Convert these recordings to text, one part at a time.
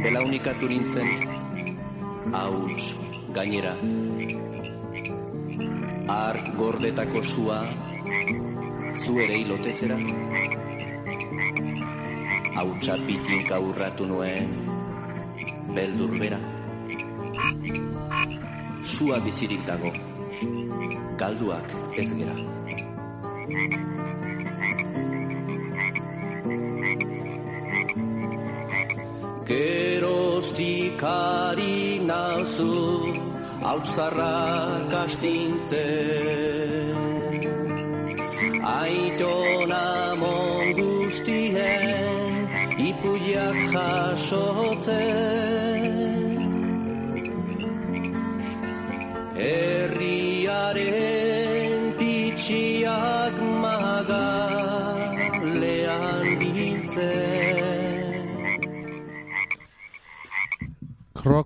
belaunikatu nintzen, hauts gainera. Ark gordetako sua, zu ere hilotezera. Hautsa pitinka urratu nuen, beldur bera. Sua bizirik dago, galduak ez gera. Geroztik ari nauzu, hautzarrak astintzen. Aitona mon guztien, ipuiak jasotzen. Herriaren pitxiak magalean biltzen.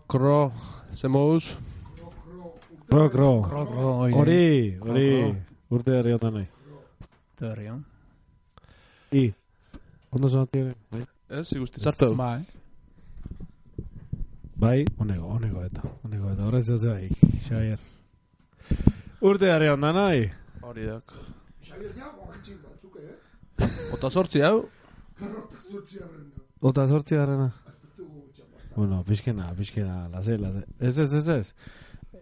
Kro, zemouz? Kro. Hori, urte herri otan nahi. Urte herri on. Ondo zonati ere? Ez, igusti zartu. Bai, onego eta. Horrez ez bai, Xavier. Urte herri otan nahi? Hori dak. Xavier ja, bakitxik batzuk, Ota sortzi hau? Ota sortzi harrena. Bueno, pixkena, lase. Ez.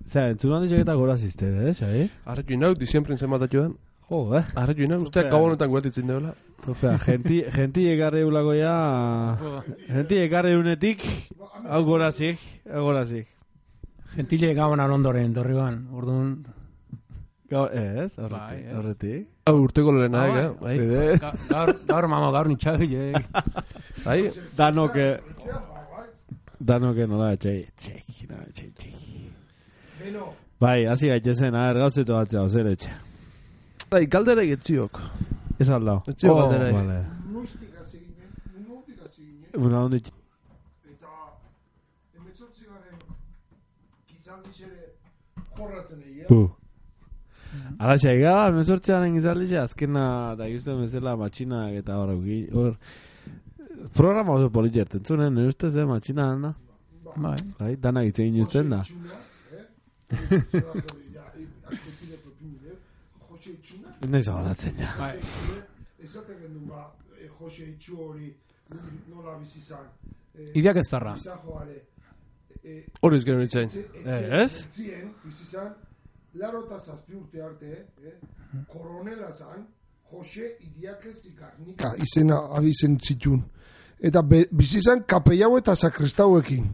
Zera, entzunan dixek eta gora zizte, Xavier? Arretu inau, diziemprin zenbatatu den. Jo, Arretu inau, usteak gabonetan guratitzen deula. Topea, genti egarre ulako ya... Genti egarre unetik, hau gorazik. Gentile gabonan ondoren, dorriban, orduan... Ez, horretik. Urteko lehena, Gaur mamo, gaur nitxagilek. Danoke nola, txek. Bai, hazi gaitezen, gauzetu batzea, ozer etxe. Bai, galdera egitziok. Ez aldao. Etxio galdera vale. Nustik hasi ginen. Una hondik. Eta, emetzortzigaren gizaldixere jorratzen egia. Alaxa, egaba, emetzortzigaren gizaldixe, azkena, da gizten bezala, matxinak eta hor... Programa oso politxerten zunen, nire ustez, matxina dana. Bai, dana gitzen ginuzten da. Naiz agaratzen, ja. Ezaten gendun Jose Itxu hori nola bizizan. Idiak ez tarra. Hori izgero nitzain. Ez? Etzien bizizan, laro eta zazpi urte arte, koronela zan, Jose Idiakez Igarnika izena abizen zitun. Eta bizizan kapellau eta sakristauekin.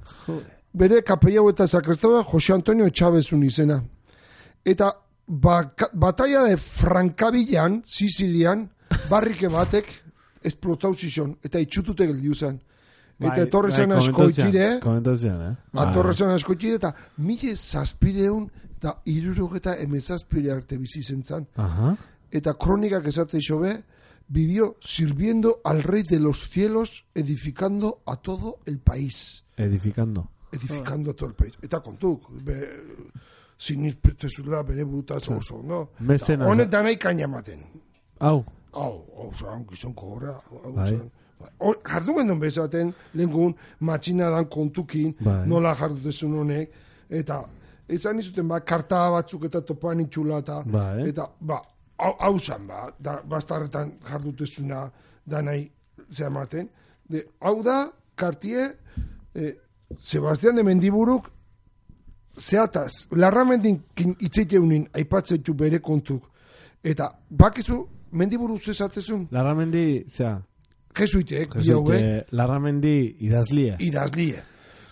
Bere kapellau eta sakristauek Jose Antonio Etxabezun izena. Eta batalla de Frankabillan, Sicilian, barrike batek esplotau zizon. Eta itxutute geldiu zen. Eta etorrezen askoitire. Atorrezen askoitire eta 1700 eta 1700 arte bizizen zan. Eta kronikak esate xobe, vivió sirviendo al rey de los cielos, edificando a todo el país. Edificando a todo el país. Eta kontuk, sinizpetezula bere burutaz oso, no? Honetan nahi kaina maten. Hau, gizonko horra. Jardun gendun bezaten, lehengun, matxina dan kontukin, nola jardutezun honek, eta ezan izuten, karta batzuk eta topan itxula, eta, hau zan, bastarretan jardutezuna da nahi zehamaten. Hau da, kartie, Sebastián de Mendiburuk zehataz, larramendin itzeiteunin aipatzeitu bere kontuk. Eta, bakizu, Mendiburu zezatezun? Larramendi, zea? Jesuitek, Larramendi idazlie.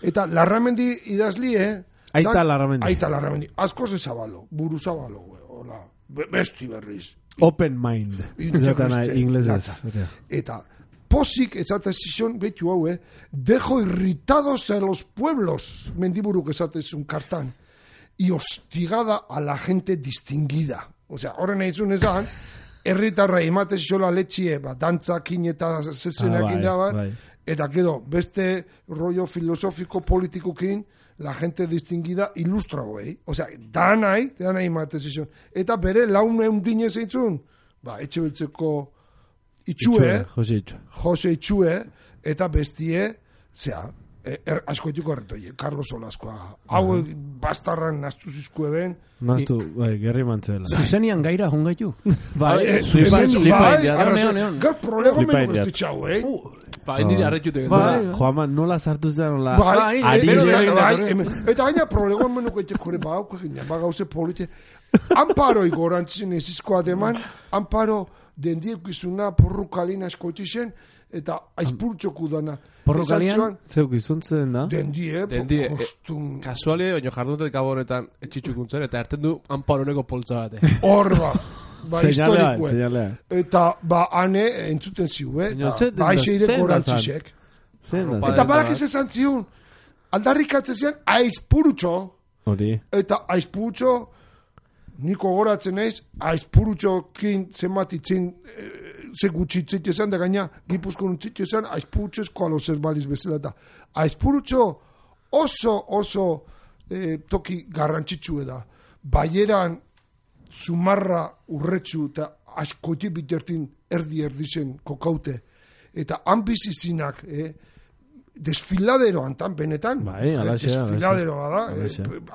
Eta Larramendi idazlie... Aita Larramendi. Asko zezabalo, buru zabalo, hola, besti berriz. Open mind. Inglesez. Eta, posik ezatezizun, betu hau, dejo irritados a los pueblos, Mendiburuk ezatezun kartan, y hostigada a la gente distinguida. Osea, horren egin ezan, herritarra ematezola letxie, dantzakin eta zezenakin da, eta gero, beste rollo filosofiko politikokin, la gente distinguida ilustra hoei. Osea, danai ematezion. Eta bere laune undine zeintzun, etxe beltzeko Itxue, Jose Itxue, eta bestie, askoitiko erretoie, Carlos Olaskoaga. Hau bastarran naztu zizkue ben. Naztu, gerri mantzela. Zuzenian gaira jungaitu. Gaur problema menuk ez ditxau, Nire arretxutek. Joama, nola sartu zen, nola... Eta gaina problema menuk etxekore, gauze politxe. Amparo igorantzien ezizkoa deman, Amparo dendiekizuna porrukalina eskoitixen, eta aizpurtxoku dana. Porrukalian? Zeuk izuntzen da? Dendie, kostun. Kasualia, baina jarduntek gabonetan etxitxukuntzen, eta erten du Amparoneko poltza bate. Horba. Señalea. Eta, ane, entzuten ziu, eta aixeire gorantzisek. Eta badak ez esan ziun, aldarrikatzen zian, aizpurtxo. Hori. Eta aizpurtxo, niko goratzen naiz, aizpurtxokin zematitzen, ze gutxitzit esan, da gaina, Gipuzkoan untzit esan, aizpurtxo eskoalo zer baliz bezala da. Aizpurtxo oso toki garrantzitsue da. Baieran, Zumarra urretxu eta askoti bitertin erdi-zen kokaute. Eta han bizizinak, desfiladero antan, benetan. Desfiladero da,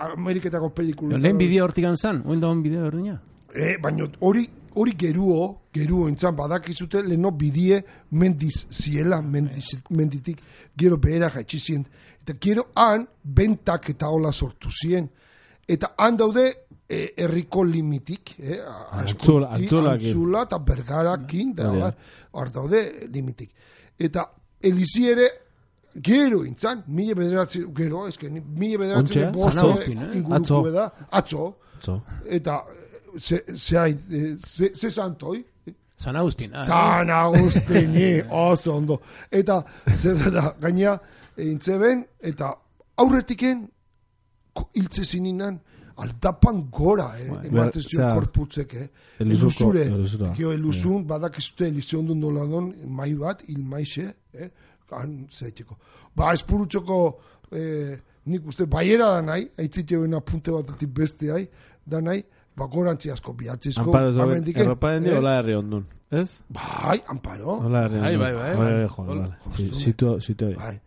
Ameriketako pelikulu. Lehen bideo hortik anzan, oen da hon bideo ordina? Baina hori geruo entzan badakizute, leheno bidie mendiz ziela, menditik, gero behera jaitxizien. Eta gero han bentak eta hola sortu zien. Eta han daude, herriko limitik, Antzula eta Bergarakin, hor daude limitik. Eta Elizi ere, gero intzan, mila bederatzen bosto ingurukue da, atzo, eta ze santoi? San Agustin. San Agustin, oso ondo. Eta zer da, gaina, intzeben, eta aurretiken, hiltze zininan, aldapan gora, ematen zio korputzek, elusure, badakizute elizio ondun doladon, mai bat, ilmaixe, han zaiteko. Espurutxoko, nik uste, baiera da nahi, aitzitio bena punte batetik beste hai, da nahi, gorantzi asko, bihatzizko, amendiken. Erropa dendi, hola herri ondun, ez? Bai, Amparo. Hola herri ondun. Bai.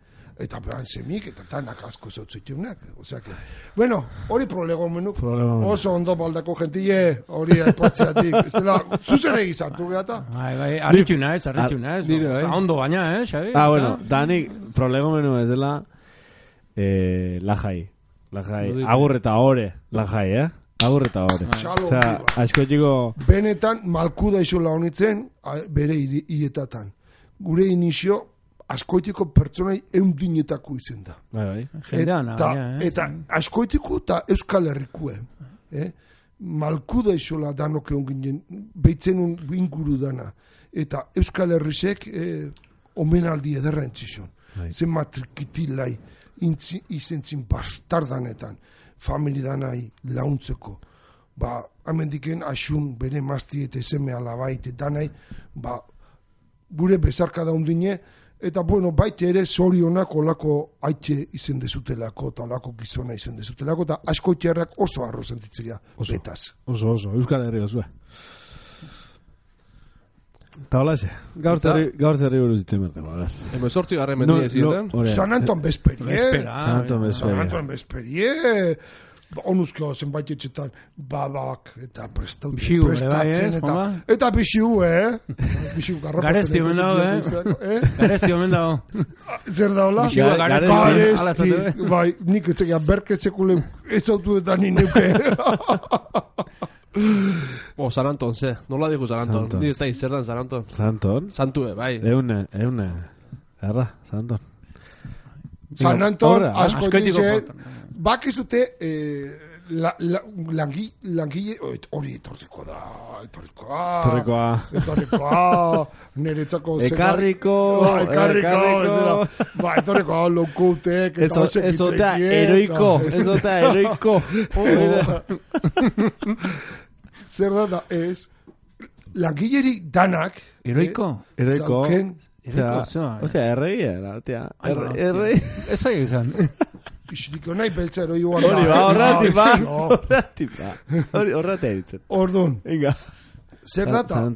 Eta behan semik, eta tanak asko zautzitunak. Osea que, bueno, hori problema menuk. Oso ondo baldako gentile, hori aipatzeatik. Ez dela, zuzere egizartu gehata. Bai, arritxu naiz. Ondo baina, Xabi? Bueno, danik problema menu ez dela lajai. Agur eta ore, lajai, Agur eta ore. Osea, asko txiko... Benetan, malkuda iso launitzen, bere hietatan. Gure inizio, askoitiko pertsonai eundinetako izen da. Eta askoitiko eta Euskal Herrikue. Malkuda isola danok egon ginen, behitzen inguru dana. Eta Euskal Herrisek omenaldi ederra entzizun. Zen matrikitilai izentzin bastardanetan, familidanai launtzeko. Hemendiken asun bere mazti eta eseme alabait danai, gure bezarka da undine, eta baite ere zorionak olako aitxe izen dezutelako, eta olako gizona izen dezutelako, eta asko txerrak oso arro sentitzea betaz. Oso, Euskal Herri osue. Eta hola xe, gaur zerri buruz itzen berteko. Sortzi garren mendia ziren. San Anton Besperie. San Anton Besperie. Onuzko zenbait etxetan babak eta prestatzen eta bixiu, bixiu garropa. Garezti omen dago, Garezti omen dago. Zer da hola? Bixiua garezti. Bai, nik etxekia berketzekule ez autu eta nineuke. San Anton, ze. Nola digu San Anton? Ni ez da izerdan San Anton. San Anton? Santue, bai. Eune. Erra, San Anton. San Anton, asko dize, bakizute langile, hori etorriko da, niretzako ekarriko, etorriko lokutek, ezota heroiko, zer da, ez, langileri danak, heroiko, osea, erreia, errei, ez aia izan. Ixiriko nahi beltza eroioan. Horratik ba. Horratik eritzen. Ordun. Inga. Zer data,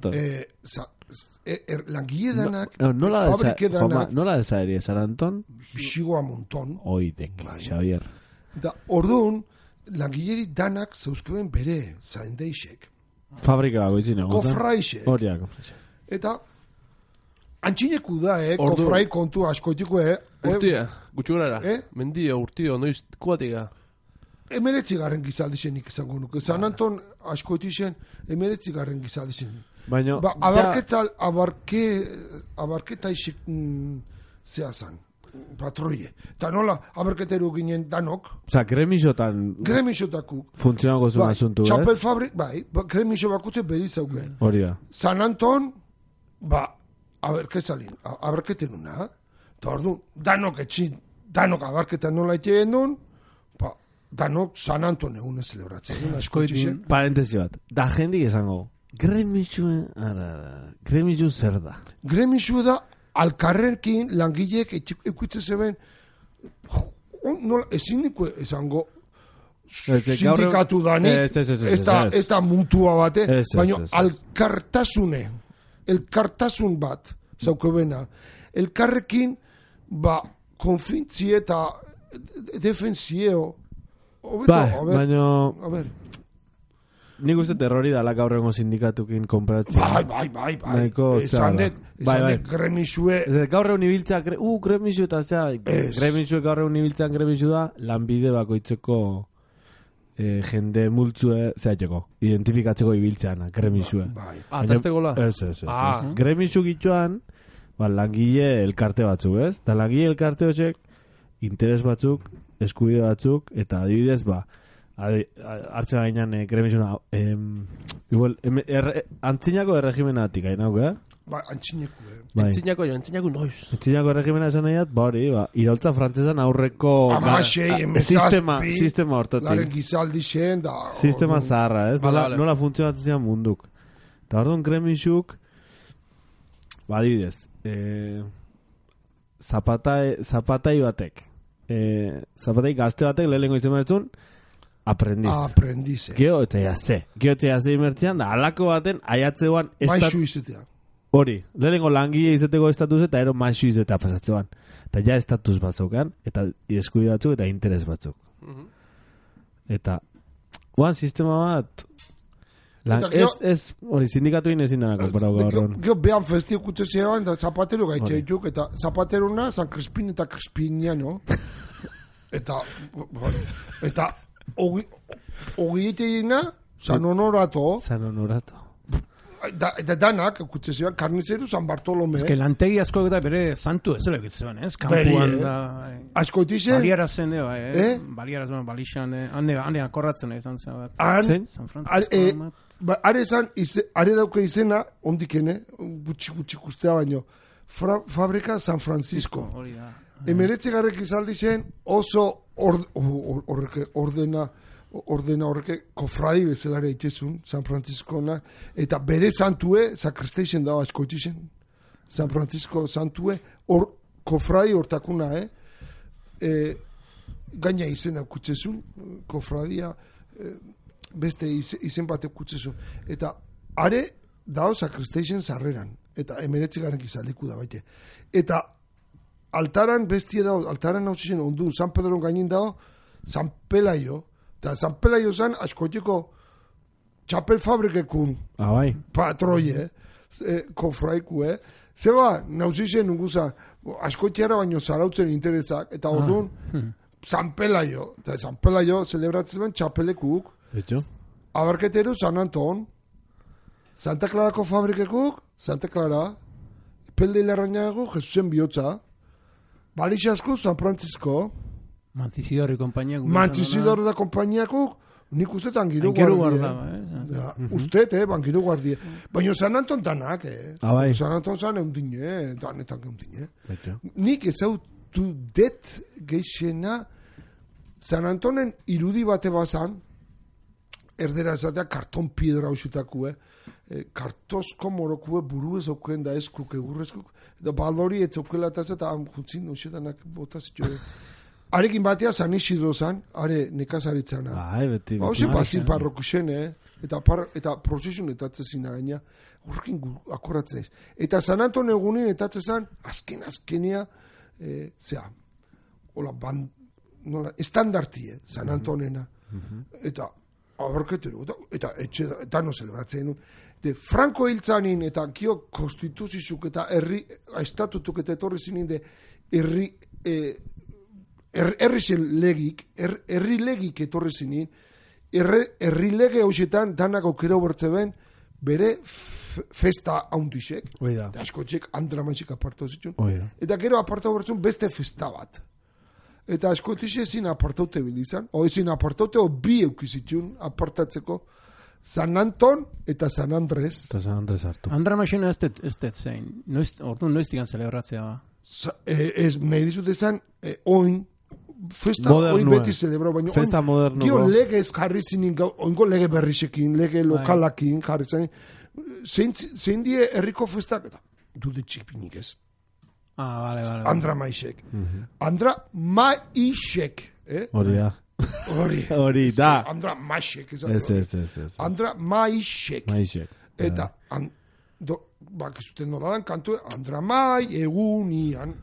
langile danak, fabrike danak. Nola desaerie, San Anton? Bixigoa monton. Oidek, Xavier. Da, orduan, langileri danak zeuzkeben bere zaindeixek. Fabrika bago itzine. Kofraixek. Horia, kofraixek. Eta, antxineku da, kofrai kontu askoitiko, Urtia, gutxurara. Mendio, urtio, noiz kuatika. 19. gizaldixenik izango nuke. San Anton askoitixen 19. gizaldixen. Baina... Abarketa isik zehazan. Patroie. Eta nola, abarketeru ginen danok. Osa, gremixotakuk. Funtzionako zuen asuntu, ez? Txapel fabrik, gremixo bakutze beri zauken. Hori da. San Anton, abarketeruna. Eta ordu, danok etxin, danok abarketan nola etxeen duen, danok San Anton egun ez celebratzen. Parentesi bat, da jendik esango, gremixu zer da? Gremixu da, alkarrekin langilek ekutze zeben, ezin niko esango, sindikatu dani, ez da muntua bate, baina elkartasun bat, zaukebena, elkarrekin, konfintzie eta defensieo, baina nik uste terrori dala gaurrengo sindikatukin konpratzen. Bai. Esan det gremixue. Gaurreun ibiltza, gremixu eta zera, gremixue gaurreun ibiltzan gremixu da, lanbide bakoitzeko jende multzue zehatxeko, identifikatzeko ibiltzean, gremixue. Tazte gola? Ez. Gremixu gitxoan, langile elkarte batzuk, ez? Da langile elkarte hotxek, interes batzuk, eskubide batzuk, eta adibidez, hartzen gainan gremixuna, antzinako erregimenatik, hainauk, Antzinako noiz. Antzinako erregimena esan nahiat, iraultza frantzesan aurreko sistema hortatik. Laren gizaldi xen, da... Sistema zaharra, ez? Nola funtzionatzen zian munduk. Eta orduan gremixuk, adibidez, zapatai batek, zapatai gazte batek lehenengo izan bertzun, aprendize. Geo eta jaze imertzean, da alako baten aiatzeuan... Maixu izatean. Hori, lehenengo langile izateko estatuz eta ero maixu izatea pasatzean. Eta ja estatus batzukan, eta eskubide batzuk eta interes batzuk. Eta, sistema bat... Hori, sindikatu inezin denako para gaurron. Geo behan festio kutze zean, da zapatero gaitxe dituk, eta zapateruna San Crispin eta Crispiniano. Eta ogieteina, San Honorato. Eta danak, kutze zean, karnizeru San Bartolome. Ez que lantegi asko eta bere santu ez zela egitzen, ez? Kampuan da... Asko itizen? Baliarazen, baliarazen, balixan, hande akorratzen izan zen bat. San Francisco. Are dauke izena, ondikene, gutxi kustea baino, Fabrika San Francisco. Emeretzegarrek izaldi zen oso ordena horreke kofradi bezalare itezun, San Franciscona, eta bere santue, sakristeixen dago askoitixen, San Francisco santue, kofradi hortakuna, gaina izen daukutxezun, kofradia, beste izen batek kutzezu. Eta are dao sakristeixen zarreran. Eta emeretzigaren izaldiku da baite. Eta altaran bestie dao, altaran hau ziren ondu, San Pedron gainin dao, San Pelaio. Eta San Pelaio zan askotiko txapel fabrikekun patroie, kofraiku, Zeba, nauzizien unguza, askotiara baino zarautzen interesak, eta orduan, San Pelaio. Eta San Pelaio celebratzen ben txapelekuk, abarketeru San Anton, Santa Clarako fabrikekuk, Santa Clara, Pelde Ilarrañago, Jesusen bihotza, Balixasku, San Francisco, Mantisidor da kompainiakuk, nik uste angiru guardia. Uste, bangiru guardia. Baina San Anton danak, San Anton zan eundine, danetan eundine. Nik ezautu det geixena, San Antonen irudi bate bazan, erdera ezatea karton piedra hausutakue, kartozko morokue buru ez aukuen da eskuk, egurrezkuk, eta balori ez aukela eta jutzin usedanak botazio. Arekin batea San Isidro zan, are nekazaritzana. Beti. Hauze bazin parrokusen, eta prozesun etatzezina gaina, urkin akorratzen ez. Eta San Anton egunin etatzezan, azkenia, hola, estandartie, San Antonena. Eta, abarketero, eta etxe da no celebratzen duen. Franco hiltzanin eta kio konstituzizuk eta estatutuk eta etorri zinin de herri legik etorri zinin, herri lege hoxetan danak aukera bertze ben, bere festa haundixek, eta askotxek andramatxik apartau zituen, eta gero apartau bertzun beste festa bat. Eta askotixe ezin apartaute bilizan, ezin apartaute bi eukizitun apartatzeko, San Anton eta San Andres. Eta San Andres hartu. Andramatxina ez dut zein. Orduan noiztikan celebratzea ba? Nahi dizut ezan, oin, festa oin beti celebrau, baina festa modernu. Gio legez jarri zinin, oingo lege berrixekin, lege lokalakin jarri zinin, zein die herriko festak, eta dude txipinik ez. Vale. Andra Maixek. Andra Maixek. Hori da. Hori da. Andra Maixek. Ez. Andra Maixek. Eta, Maixek. Nola dan kantu, Andra Mai egunian.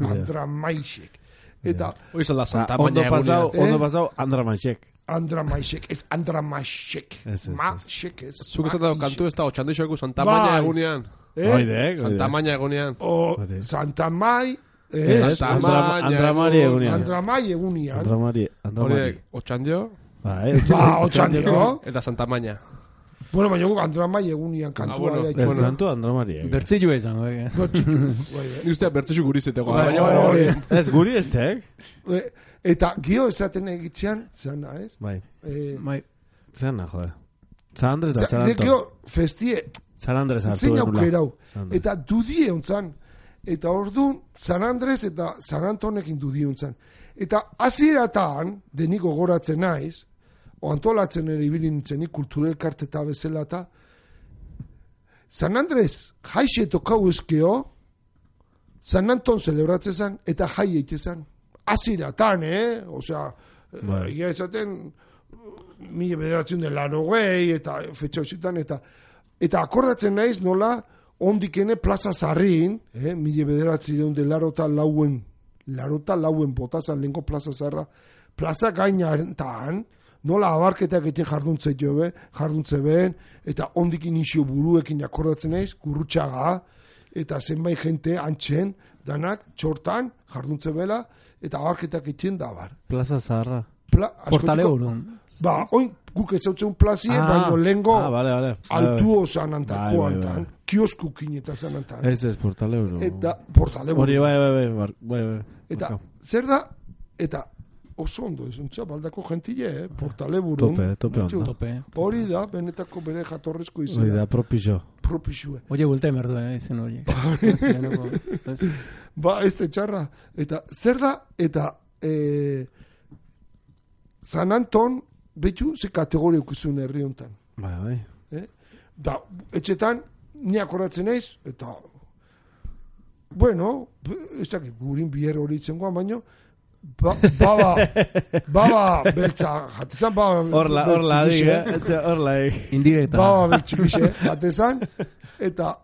Andra Maixek. Eta, hori zela Santa Maña egunian. Ondo pasau, Andra Maixek. Andra Maixek, ez Andra Maixek. Maixek ez. Zuk esan dago kantu ez da, otxandixoeku Santa Maña egunian. Santa Maña egunian. Santa Mai... Andramari egunian. Andramai egunian. Horiek, otxandio. Otxandio. Eta Santa Maña. Bueno, baina guk Andramai egunian kantua. Kantu Andramari. Bertzillu izango. Ni ustea bertzillu gurizeteko. Ez guri ez tek. Eta gio esaten egitzean, zena, ez? Bai. Zena, jode. San Andres da San Anton. Gio festie. San Andres hartu. Zein aukerau. Eta dudie ontzan. Eta orduan, San Andres eta San Antonekin dudiuntzan. Eta aziratan, deniko goratzen naiz, o antolatzen ere ibilintzen kulturel karteta bezala eta, San Andres jaixe tokau ezkeo, San Anton celebratzen zan, eta jai eitezan. Aziratan, Osea, egia esaten, 1980 eta fetxa hoxetan, eta akordatzen naiz nola, ondikene plaza zarrin, 1984 botazan lehenko plaza zarra, plaza gainatan, nola abarketak egiten jarduntze behen, eta ondikin isio buruekin akordatzen naiz, gurrutxaga, eta zenbait jente antxen, danak, txortan, jarduntze bela, eta abarketak egiten dabar. Plaza zarra. Portale urun. Oin guk ez zautzen plazie, baino lehengo altuo zanantakoa antan, kioskukin eta zanantan. Ez, portale euro. Eta, portale euro. Hori, bai. Eta, zer da, eta oso ondo, ez untza, baldako gentile, portale burun. Tope. Hori da, benetako bere jatorrezko izan. Hori da, propixue. Oie, gulte merdu, izen hori. Ez txarra. Eta, zer da, eta, San Anton, betu, ze kategoria ukizun herri honetan. Bai. Da, etxetan, ni akoratzen naiz, eta, bueno, ez dakit gurin biher hori itzengoan, baino, baba beltza, jatezan, Horla, indirekta. Baba beltxikixe, jatezan, eta,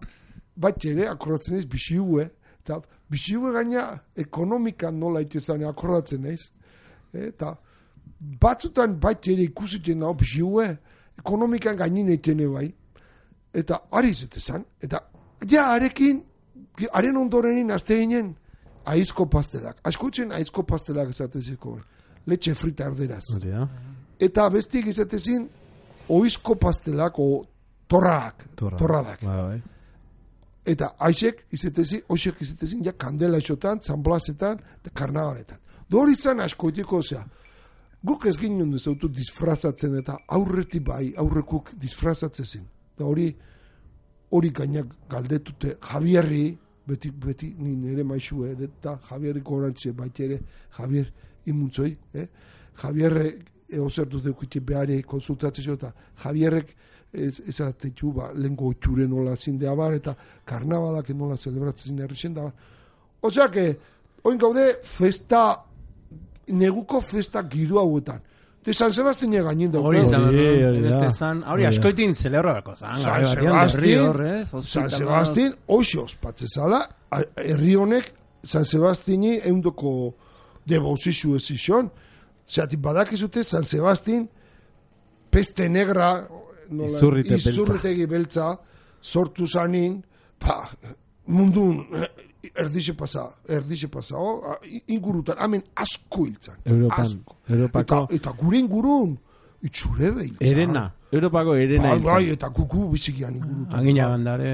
bat ere, akoratzen naiz, bixihue, eta, bixihue gaina, ekonomikan nola itezan, akoratzen naiz, eta, batzutan baita ere ikusiten hau bixihue, ekonomikan gainin eitene bai. Eta ari zetezan. Eta ja arekin, haren ondorenin azte ginen, aizko pastelak. Askotzen aizko pastelak esatezeko. Letxe frita arderaz. Eta bestik esatezin, oizko pastelak o torradak. Eta aizek izetezin, ja kandela isotan, zanblazetan, eta karnabaletan. Doritzan askoiteko, osea, guk ez ginen duzautu disfrazatzen eta aurretik bai, aurrekuk disfrazatzen. Eta hori gainak galdetute Javierri, beti nire maixue, eta Javierri gorantze baita ere, Javier imuntzoi, Javierre eozertuz deukite behari konsultatzeo, eta Javierrek ezatetu lehenko itxure nola zindea bar, eta karnabalak nola celebratzen errexen da bar. Oseak, oin gaude festa, neguko festa giru hauetan. de San Sebastián gainin daukau. Hori izan, Hori da. beste zan, hori askoitin celebrako zan, San garai batean, berri Sebastián, horrez, San Sebastián, hoxe ospatzezala, herri honek San Sebastiani eundoko debauzizu ez izan, zeatik badakizute San Sebastián peste negra, izurritegi beltza, sortu zanin, mundun erdixe pasa, ingurutan, hemen asko hiltzan. Europako. Eta gure ingurun, itxure behiltzan. Erena. Europako erena hiltzan. Bai, eta kuku bizikian ingurutan. Aginagan dare.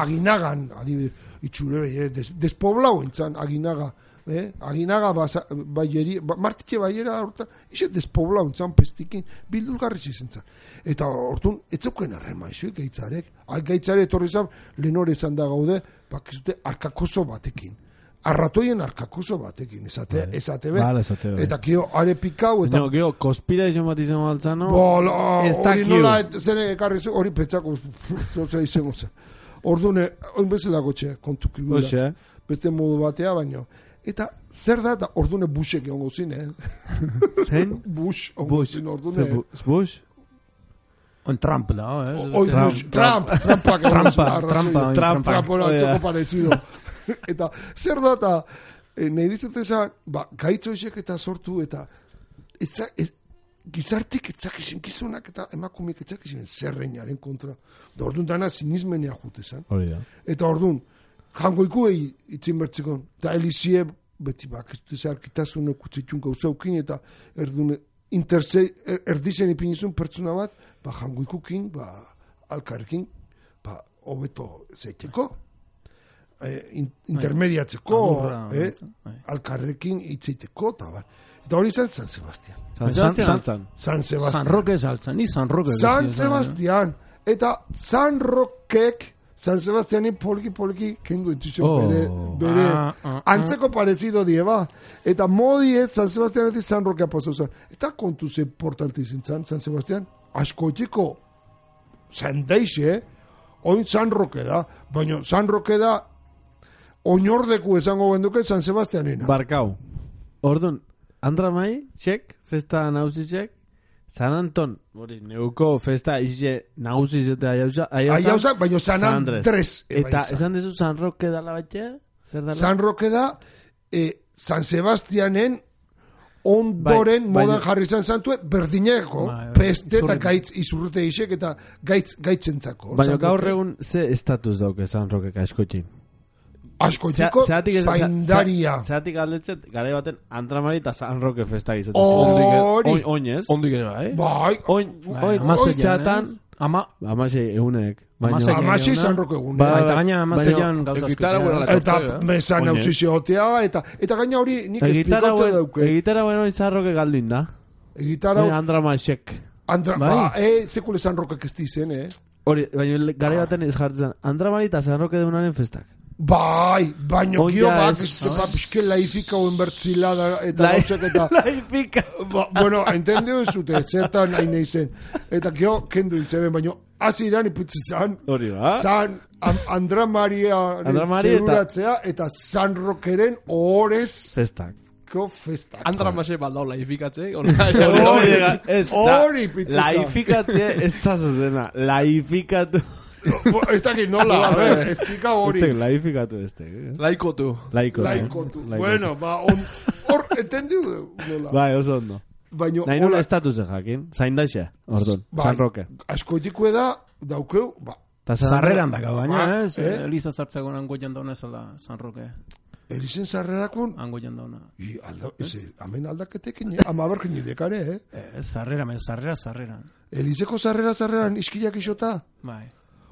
Aginagan, adibide, itxure behi, despoblau entzan, aginaga. Aginaga martitxe baiera horta, ise despoblau entzan pestikin, bildulgarriz izen zan. Eta hortun, etzauken arrema iso, gaitzarek. Gaitzare etorri zan, lehenore zan da gaude, bakizute, arkakoso batekin. Arratoien arkakoso batekin, esate be. Eta kio, are pikau, eta... No, kio, kospira izan bat izan baltzano... Hori nola, zene ekarri zu, hori petzako, zoza izan goza. Ordune, oin bezala gotxe, kontu kibula. Beste modu batea, baino. Eta zer da, ordune busek egon gozin, Zein? Bush, egon gozin, ordune. Bush? On Trump da, Trumpa, eta zer da, eta nahi dizutezan, gaitzo esek eta sortu, eta gizartik etzakizien gizonak eta emakumeek etzakizien zerreinaren kontra. Da orduan dana sinismenea jutezan. Eta orduan, jangoikuei itzin bertzikon, da elizie, beti ez arkitasun ekutzitun gauzaukin, eta erdun erdizen ipinizun pertsona bat, jangoikukin, alkarrekin, hobeto zeiteko. Intermediatzeko, alkarrekin itzeiteko, eta hori zen San Sebastián. San Sebastián. San Roque saltzan, ni San Roque. San Sebastián. Eta San Roquek, San Sebastianin poliki kendu etxizio bere antzeko parezido dieba. Eta modi ez San Sebastianetik San Roquea pasau zen. Eta kontu ze portante izin San Sebastián, askoitiko San Deixe, oin San Roque da, baina San Roque da oinordeku esango benduke San Sebastianena. Barkau. Ordun, Andramai, txek, festa nauzi txek, San Anton, hori, neuko festa ize nauzi zete aiauza, baina San Andres. Eta esan dezu San Roque dala batzea? San Roque da, San Sebastianen ondoren modan jarri zan zantue, berdineko, peste eta gaitz izurrute isek eta gaitzentzako. Baina gaur egun ze estatus dauke San Roque askoitin? Askoitiko zaindaria. Zeatik aldetzet, gara baten Andramari eta San Roque festa gizatzen. Hori. Oinez. Ondik ere, Bai. Oin, zeatan, amasei egunek. Amasei San Roque egunek. Eta gaina amaseian gauzazko. Eta mesan eusiziotea, eta gaina hori nik esplikote dauke. Egitara bueno San Roque galduin da. Egitara... Andramaiek. Sekule San Roque kesti zen, Hori, baina gara baten ez jartzen. Andramari eta San Roque deunaren festak. Bai, baino gio pixke laifika oen bertzila eta gauzek eta... Laifika! Bueno, entendeu zute, zertan nahi nahi zen. Eta gio kendu hiltzeben, baino hasi iran iputzi zan. Hori ba? Zan Andramaria zeruratzea eta San Roqueren orez... Festak. Festak. Andramase baldau laifikatze. Hori pizza. Laifikatze ez da zuzena. Laifikatu... Ez dakit nola, a ver, explica hori. Laifikatu Laikotu. Bueno, hor, entendiu nola. Bai, oso ondo. Nahi nola estatus jakin, zain daixe, ordon, San Roque. Askoitiko da, daukeu, Zarreran daka baina, Eliza zartzagon angoian dauna ezala San Roque. Elizen zarrerakun? Angoian dauna. Amen aldaketekin, ama berkin idekare, Zarreran. Elizeko zarreran iskilak isota? Bai.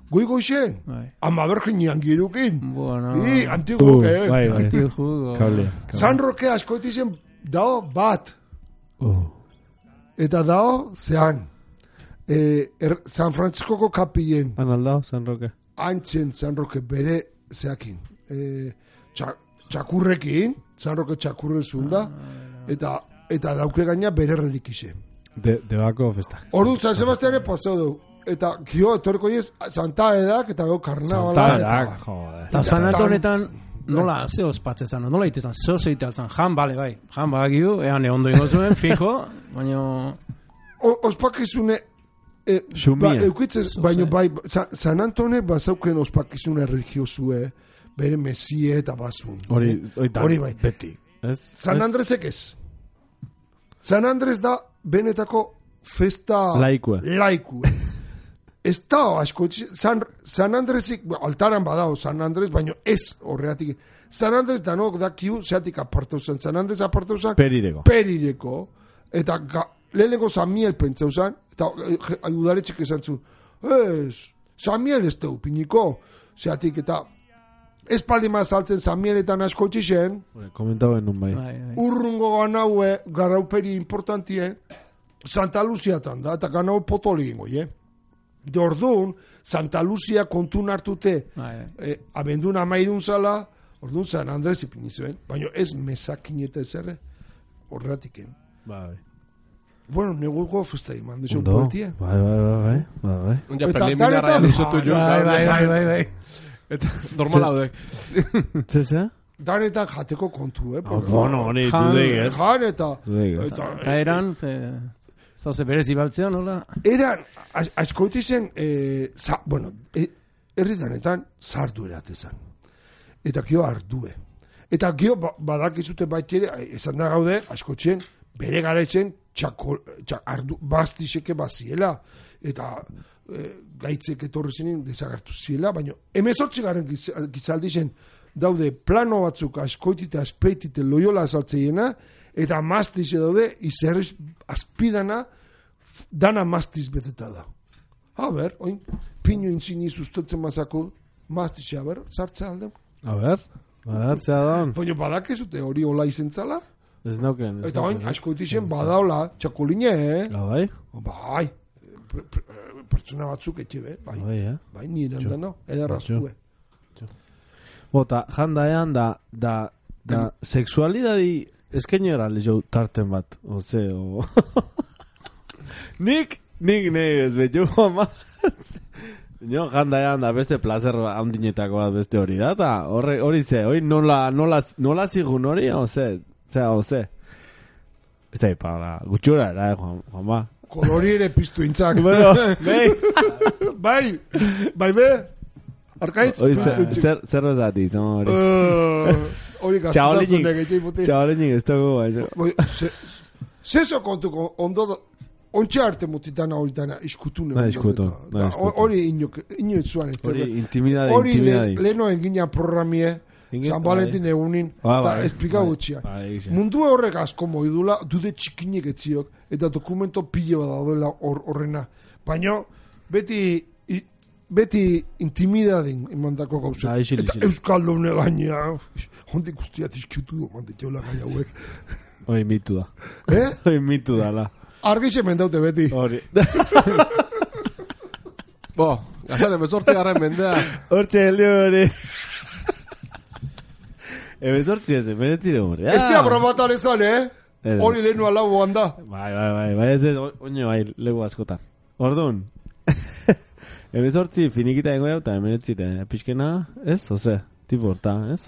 Goigo isen? Ama berginian girukin? Bueno. Antigo, Antigo. San Roque askoitizen dao bat. Eta dao zean. San Franciscoko kapien. Analdao, San Roque. Antzen San Roque bere zeakin. Txakurrekin. San Roque txakurren zunda. Eta dauke gaina bere relikise. Debako festak. Ordu, San Sebastiane pasau dugu. Eta gio, etorko ez, Santa Edak, eta gau karnavala. Santa Edak, joder. Eta San Antonetan, Nola, ze ospatzezan, nola itezan, zeo zeitalzan, jan, bale, bai, jan bagiu, ean ondo ingo zuen, fijo, baina... Ospakizune... Xumia. Baina bai, San Antone bazauken ospakizune religiosue, bere mesie eta bazun. Hori bai. Beti. San Andresek ez. San Andres da benetako festa... Laikue. Ez da, asko, San Andresik, altaran badao San Andres, baina ez horreatik. San Andres danok dakiu, zeatik apartau zen. San Andres apartau zen... Perireko. Eta lehenengo San Miel pentsau zen, eta udaletxek esan zu, San Miel ez teu, piniko, zeatik, eta ez paldima saltzen San Mieletan asko txixen, komentauen nun bai. Urrungo ganaue, garauperi importantie, Santa Luziatan da, eta ganau potoli ingo, De orduan, Santa Luzia kontun hartute, abendun amairun zala, orduan San Andres ipinizuen, baina ez mesakin eta ezerre, horretiken. Bai. Bueno, neguko festa iman, dixo poltia. Bai. Ja, preliminara dizutu jo. Bai. Eta normal haudek. Zeza? Danetan jateko kontu, Bueno, honi, dudek ez. Jan eta... Eta eran, zauze berezi baltzea, nola? Eran, askoiti zen, herritanetan sardu eratezan. Eta gio ardue. Eta gio badakizute baitiere, esan da gaude, askotxen, bere garaitzen, bastiseke baziela. Eta gaitzek etorri zenen desagartu ziela, baina 18 garen gizaldi zen, daude plano batzuk askoitite, aspeitite, loiola azaltzeiena, eta mastize daude, izerriz azpidana, dana mastiz beteta da. A ber, oin, pino intzini sustotzen mazako, mastize, a ber, sartzea alde. A ber, sartzea da. Baina badakezute hori hola izentzala. Ez nauken. Eta oin, askoitizen badaola, txakoline, Bai? Bai, pertsona batzuk etxe, bai. Bai, nire handana, edarrazkue. Bota, jandaean da sexualidadi eskaino eralde jo tarten bat, Nik ez betu, ama. Jo, jandaean da beste placer handinetako bat beste hori da, eta hori ze, hori nola zigun hori, oze. Ez da, para gutxura, Juanma. Kolori ere piztu intzak. Bueno, bai, be. Arkaitz? Zer bezati, zama hori. Hori gaztutazunek egin puti. Txabalenik ez dugu. Zezo kontuko ondo ontxe arte mutitana horitana iskutune. Hori ino etzuan. Hori intimidadi. Hori leheno engina programie, San Valentin egunin, eta esplika gutxia. Mundu horrek asko moidula, dude txikinek etziok, eta dokumento pile bat daudela horrena. Baina, beti intimidadin emandako gauza. Eta Euskaldune gaina, hondik guztiat izkiutu du, mantetxeola gai hauek. Hoi mitu da. Hoi mitu da, la. Argixe mendaute beti. Hori. Gazan, 18 garren mendea. Hortxe heldio hori. 18 ez, menetzire hori. Ez tia bromatan ezan, Hori lehenu alau handa. Bai, ez oino bai, legu askotan. Orduan. 18 finikita dengo jau, eta menetzire pixkena, ez, oze, tipo horta, ez,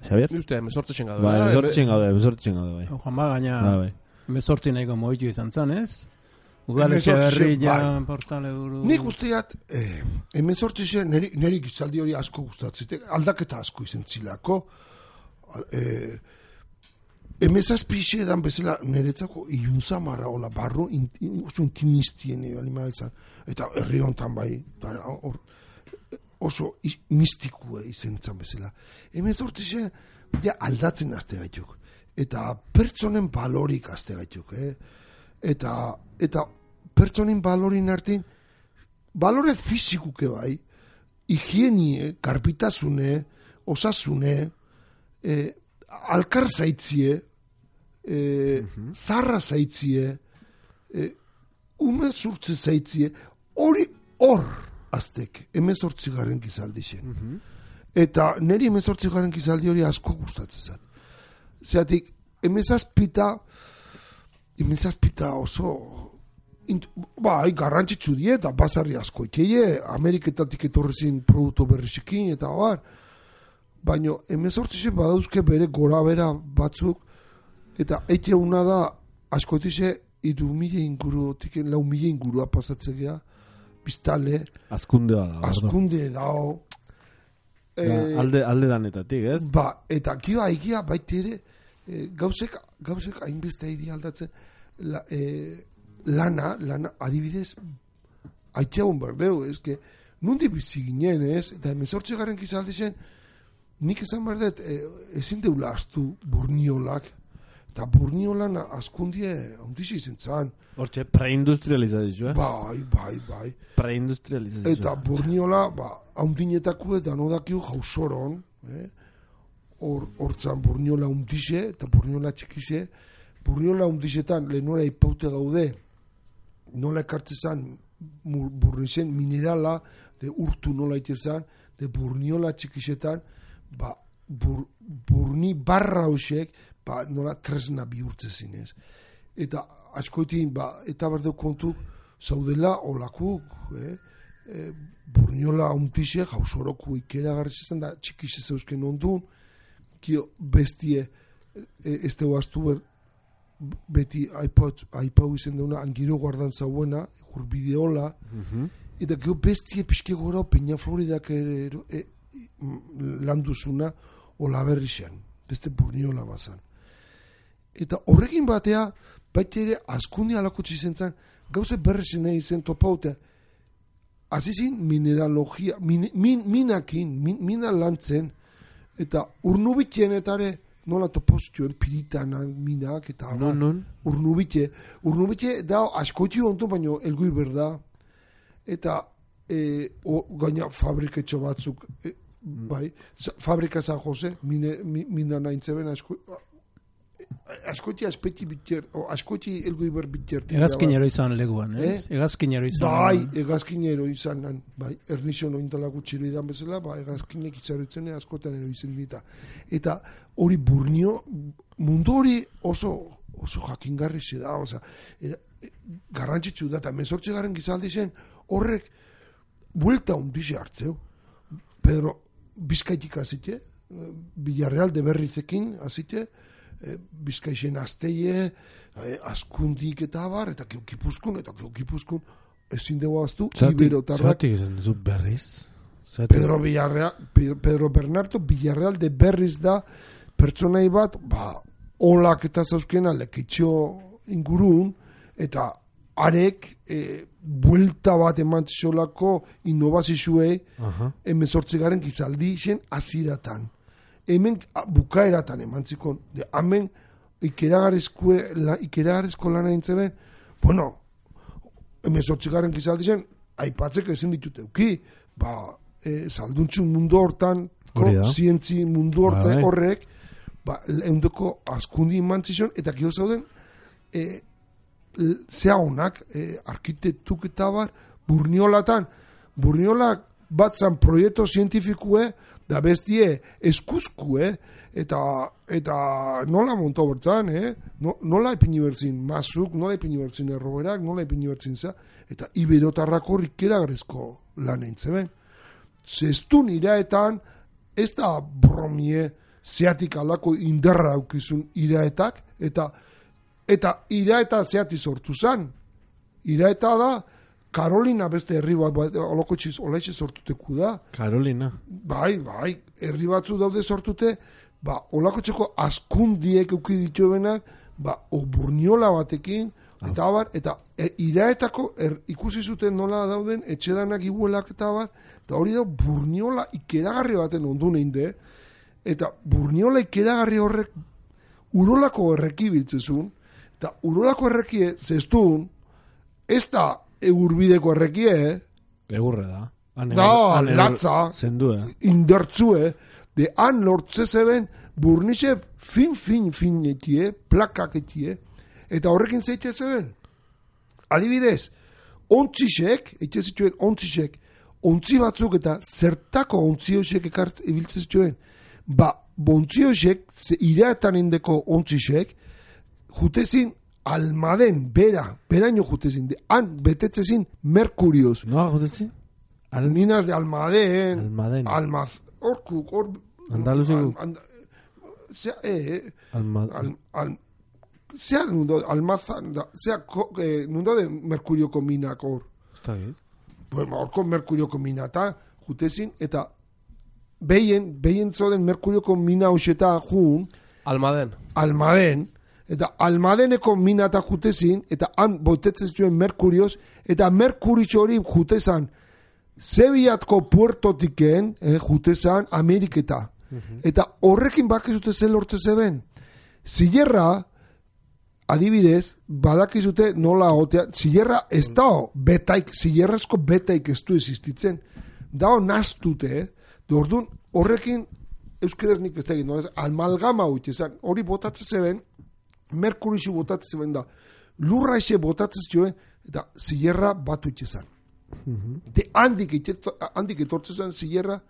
Xabier? Ni uste, 18 txengadu. Bai, 18 txengadu, bai. Juanma, gaina, bai. 18 nahiko moitu izan zan, ez? Udaletxe berrilla, portale buru... Nik usteat, 18 neri gizaldi hori asko gustatzete, aldaketa asko izan zilako, emezazpixe edan bezala niretzako iunzamarra hola barro oso intimistien animalizan eta herri hontan bai oso mistikue izan bezala emezortzixe ja aldatzen azte gaituk eta pertsonen balorik azte gaituk eta pertsonen balorin artin balore fizikuke bai higienie, karpitasune osasune alkar zaitzie zarra zaitzie ume zurtze zaitzie hori hor aztek 18 garen gizaldi zen eta neri 18 garen gizaldi hori asko gustatzen zat zeatik emezazpita oso bai garrantzitsu die eta basarri asko ikeie Ameriketatik etorrezin produktu berrizekin eta bar baina 18 badauzke bere gora bera batzuk, eta ete una da askotize 3.000 inguru, 4.000 ingurua pasatzea, biztale, askunde dao, alde danetatik, ez? Ba, eta kioa egia baita ere, gauzek hainbeste idea aldatzen, lana, adibidez, aitxeagun berdeu, ezke, nundi bizi ginen, ez? Eta 18 garen kizaldi zen, nik esan berdet, ezin deula astu burniolak, eta burniolan askundie ondixi izen zan. Hortxe, preindustrializazio, Bai. Preindustrializazio. Eta burniola, haundinetako eta nodakiu jausoron, hortzan burniola undixe, eta burniola txikixe, burniola undixetan lehenora ipaute gaude, nola ekartzezan burnixen minerala, de urtu nola itezan, de burniola txikixetan, burni barra hoxek, nola tresna bihurtzezin ez. Eta askoetin, eta berdeu kontu, zaudela olakuk, burniola untixe, jausoroku ikera garrizizan, da txikixe zeuzken ondun, kio bestie, ez dugu astu beti aipau izen deuna, angiro guardan zauena, urbideola, eta kio bestie pixke gora Peña Floridak landuzuna, ola berrixan, beste burniola bazan. Eta horrekin batea, baita ere askundi alakotzi zentzan, gauze berrezen nahi zen topaute, azizin mineralogia, minakin, mina lantzen, eta urnubitien etare, nola topozituen piritanan minak, eta urnubitien da askoti ontu, baino elgui berda, eta gaina fabriketxo batzuk, bai, fabrika San Jose, mina nahintzeben askoti aspeti bitxer, askoti elgui ber bitxer. Egazkinero izan leguan, ez? Egazkinero izan. Bai, egazkinero izan, bai, ernixo nointalako txiro idan bezala, egazkinek izarutzen askotan ero izan dita. Eta hori burnio, mundu hori oso jakingarri ze da, garrantzitsu da, eta 18 garen gizaldi zen, horrek buelta hundize hartzeu. Pedro Bizkaitik azite, Villarreal de Berrizekin azite, Bizkaixen azteie, askundik eta abar, eta geokipuzkun, ezin dugu aztu, Iberotarrak. Zeratik esan duzu berriz? Pedro Bernardo Villarreal de Berriz da, pertsonai bat, olak eta zauzkena lekitxo ingurun, eta arek buelta bat emantzolako innovazizuei 18 garen gizaldi zen aziratan. Hemen bukaeratan emantzikon. Hemen ikeragarrizko lana intzeben, 18 garen gizaldi zen, aipatzek ezin ditut euki, salduntxun mundu hortan, zientzi mundu hortan horrek, eundeko askundi emantzizon, eta kio zauden, zea honak, arkitektuk eta bar, burniolak batzan proiektu zientifikue, da bestie eskuzkue, eta nola monto bertzan, nola epini bertzin mazuk, nola epini bertzin erroberak, nola epini bertzin za, eta iberotarrako rikeragarrizko lan eintzeben. Zestun iraetan, ez da bromie zeatik alako indarra aukizun iraetak, eta iraeta zeati sortu zan. Iraeta da, Karolina beste herri bat, olokotxiz, olaitxe sortuteku da. Karolina. Bai, herri batzu daude sortute, olakotxeko askundiek euki dituenak, burniola batekin, eta abar, eta iraetako ikusi zuten nola dauden, etxedanak iguelak eta abar, eta hori da burniola ikeragarri baten ondu neinde, eta burniola ikeragarri horrek urolako erreki biltzezun, eta urolako errekie zestun, ez da egurbideko errekie, egurre da. Latza, indertzue, de han lortze zeben, burnixe fin etie, plakak etie, eta horrekin zeitea zeben. Adibidez, ontzisek, eite zituen ontzisek, ontzi batzuk eta zertako ontzi hoxek ekart ibiltze zituen, bontzi hoxek, iraetan indeko ontzisek, jutezin Almaden, beraino jutezin, han betetzezin Merkurioz. Noa jutezin? Minas de Almaden, Almaden. Hor Andaluzin. Zea nundo, almazan, zea nundo de merkurioko minak hor. Está bien. Bueno, horko merkurioko mina eta jutezin, eta behien zoden merkurioko mina hoxeta jun, Almaden, eta Almadeneko mina eta jutezin, eta han botetzen zuen merkurioz, eta merkuritxo hori jutezan, Zebiatko puertotiken, jutezan Ameriketa. Eta horrekin bakizute zel hortze zeben. Zillerra, adibidez, badakizute nola gotea, zillerra ez dao betaik, zillerrazko betaik ez du existitzen. Dao naztute, orduan horrekin euskeraz nik ez da egin, amalgama hutezan, hori botatzen zeben, merkurixu botatzen zeben da, lurra eze botatzen zuen, eta zillerra bat hutezan. De handik etortzen zen zillerra,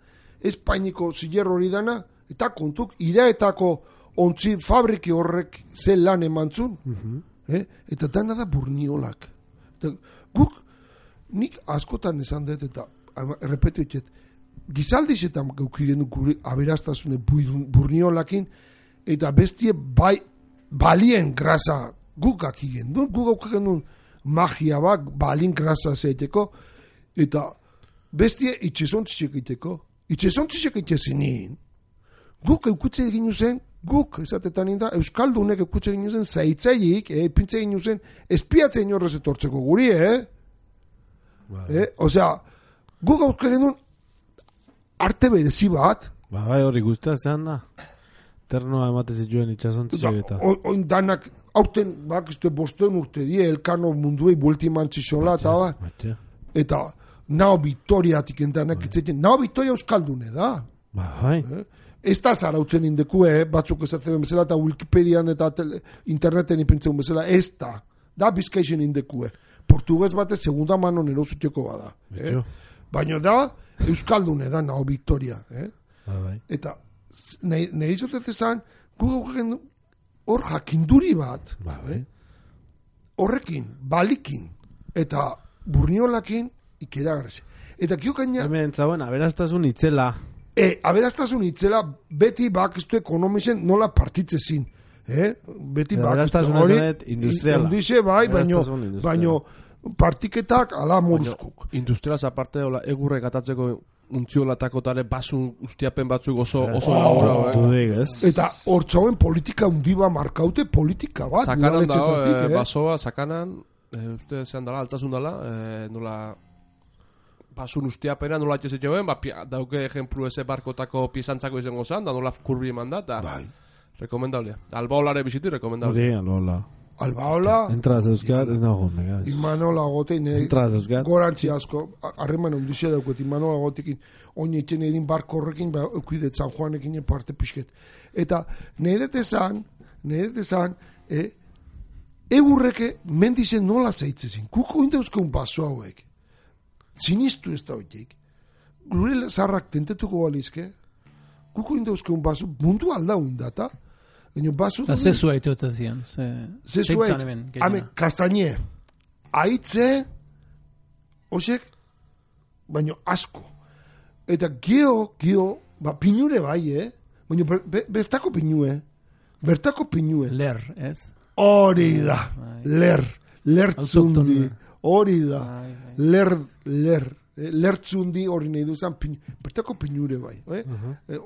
Espainiko zillerro hori dana, eta kontuk, iraetako ontzi fabriki horrek ze lan emantzun, eta dana da burniolak. Guk, nik askotan esan dut, eta errepetioet, gizaldizetan gaukigen gure aberastasune burniolakin, eta bestie balien grasa guk akigen. Guk gaukigen duen magia bak, balien grasa zeiteko, eta bestie itxezontziek iteko. Itxezontziek itxezinin, guk eukutze egin zen, guk, esatetan inda, Euskaldunek eukutze egin zen, zaitzaiik, epintze egin zen, espiatzen inorrez etortzeko guri, Osea, guk eukutze egin duen, arte berezi bat. Bai, hori guztatzen da. Ternoa emate zituen itxasontziek eta. Oin danak, aurten, bakizte bosten urte die, elkano munduei buelti mantzizola, eta ba. Eta, nao Victoriatik entanak itzeiten, nao Victoria Euskaldune da. Bai. Ez da zarautzen indekue, batzuk esatzen bezala, eta Wikipedian eta interneten ipintzen bezala, ez da. Da bizkaixen indekue. Portuguez bate segunda mano nerozutioko bada. Baina da, Euskaldune da, nao Victoria. Bai. Eta, nahi zotet ezan, hor jakinduri bat, horrekin, balikin, eta burniolakin, ikeragarrez. Eta kiokaina... Hemen zauen, aberastazun itzela. Aberastazun itzela, beti bakiztu ekonomisen nola partitzezin. Beti aberastazun ezanet industriala. Indize, bai, baino partiketak ala moruzkuk. Industrialaz aparte, egurre gatatzeko untziolatako tare basun ustiapen batzuk oso labora. Eta hortzauen politika undiba markaute politika bat. Sakanan da, basoa, sakanan, uste zean dala, altzazun dala, nola... Basun ustiapena nola atxezit joen, dauke ejemplu eze barkotako piezantzako izango zan, da nola kurbi eman da, eta rekomendablia. Albaolare biziti, rekomendablia. Albaola... Entraz euskat, ez nago gondega. Imanola gotein, gorantzi asko, harreman ondizia daukot, Imanola gotekin, oin egiten edin barko horrekin, eukidet San Juanekin parte pixket. Eta nahi detezan, egurreke mendizen nola zeitzezin. Kuko indeuzkeun baso hauek. Sinistu ez da hoitek. Gure zarrak tentetuko balizke. Kuko indeuzkeun baso, mundu aldau indata. Zezua itote zian. Zezua itote. Kastañe. Aitze, osek, baino asko. Eta geo, pinure bai, baino bertako pinue. Ler, ez? Hori da. Lertzundi. Hori da. Lertzundi hori nahi duzan, bertako pinure bai.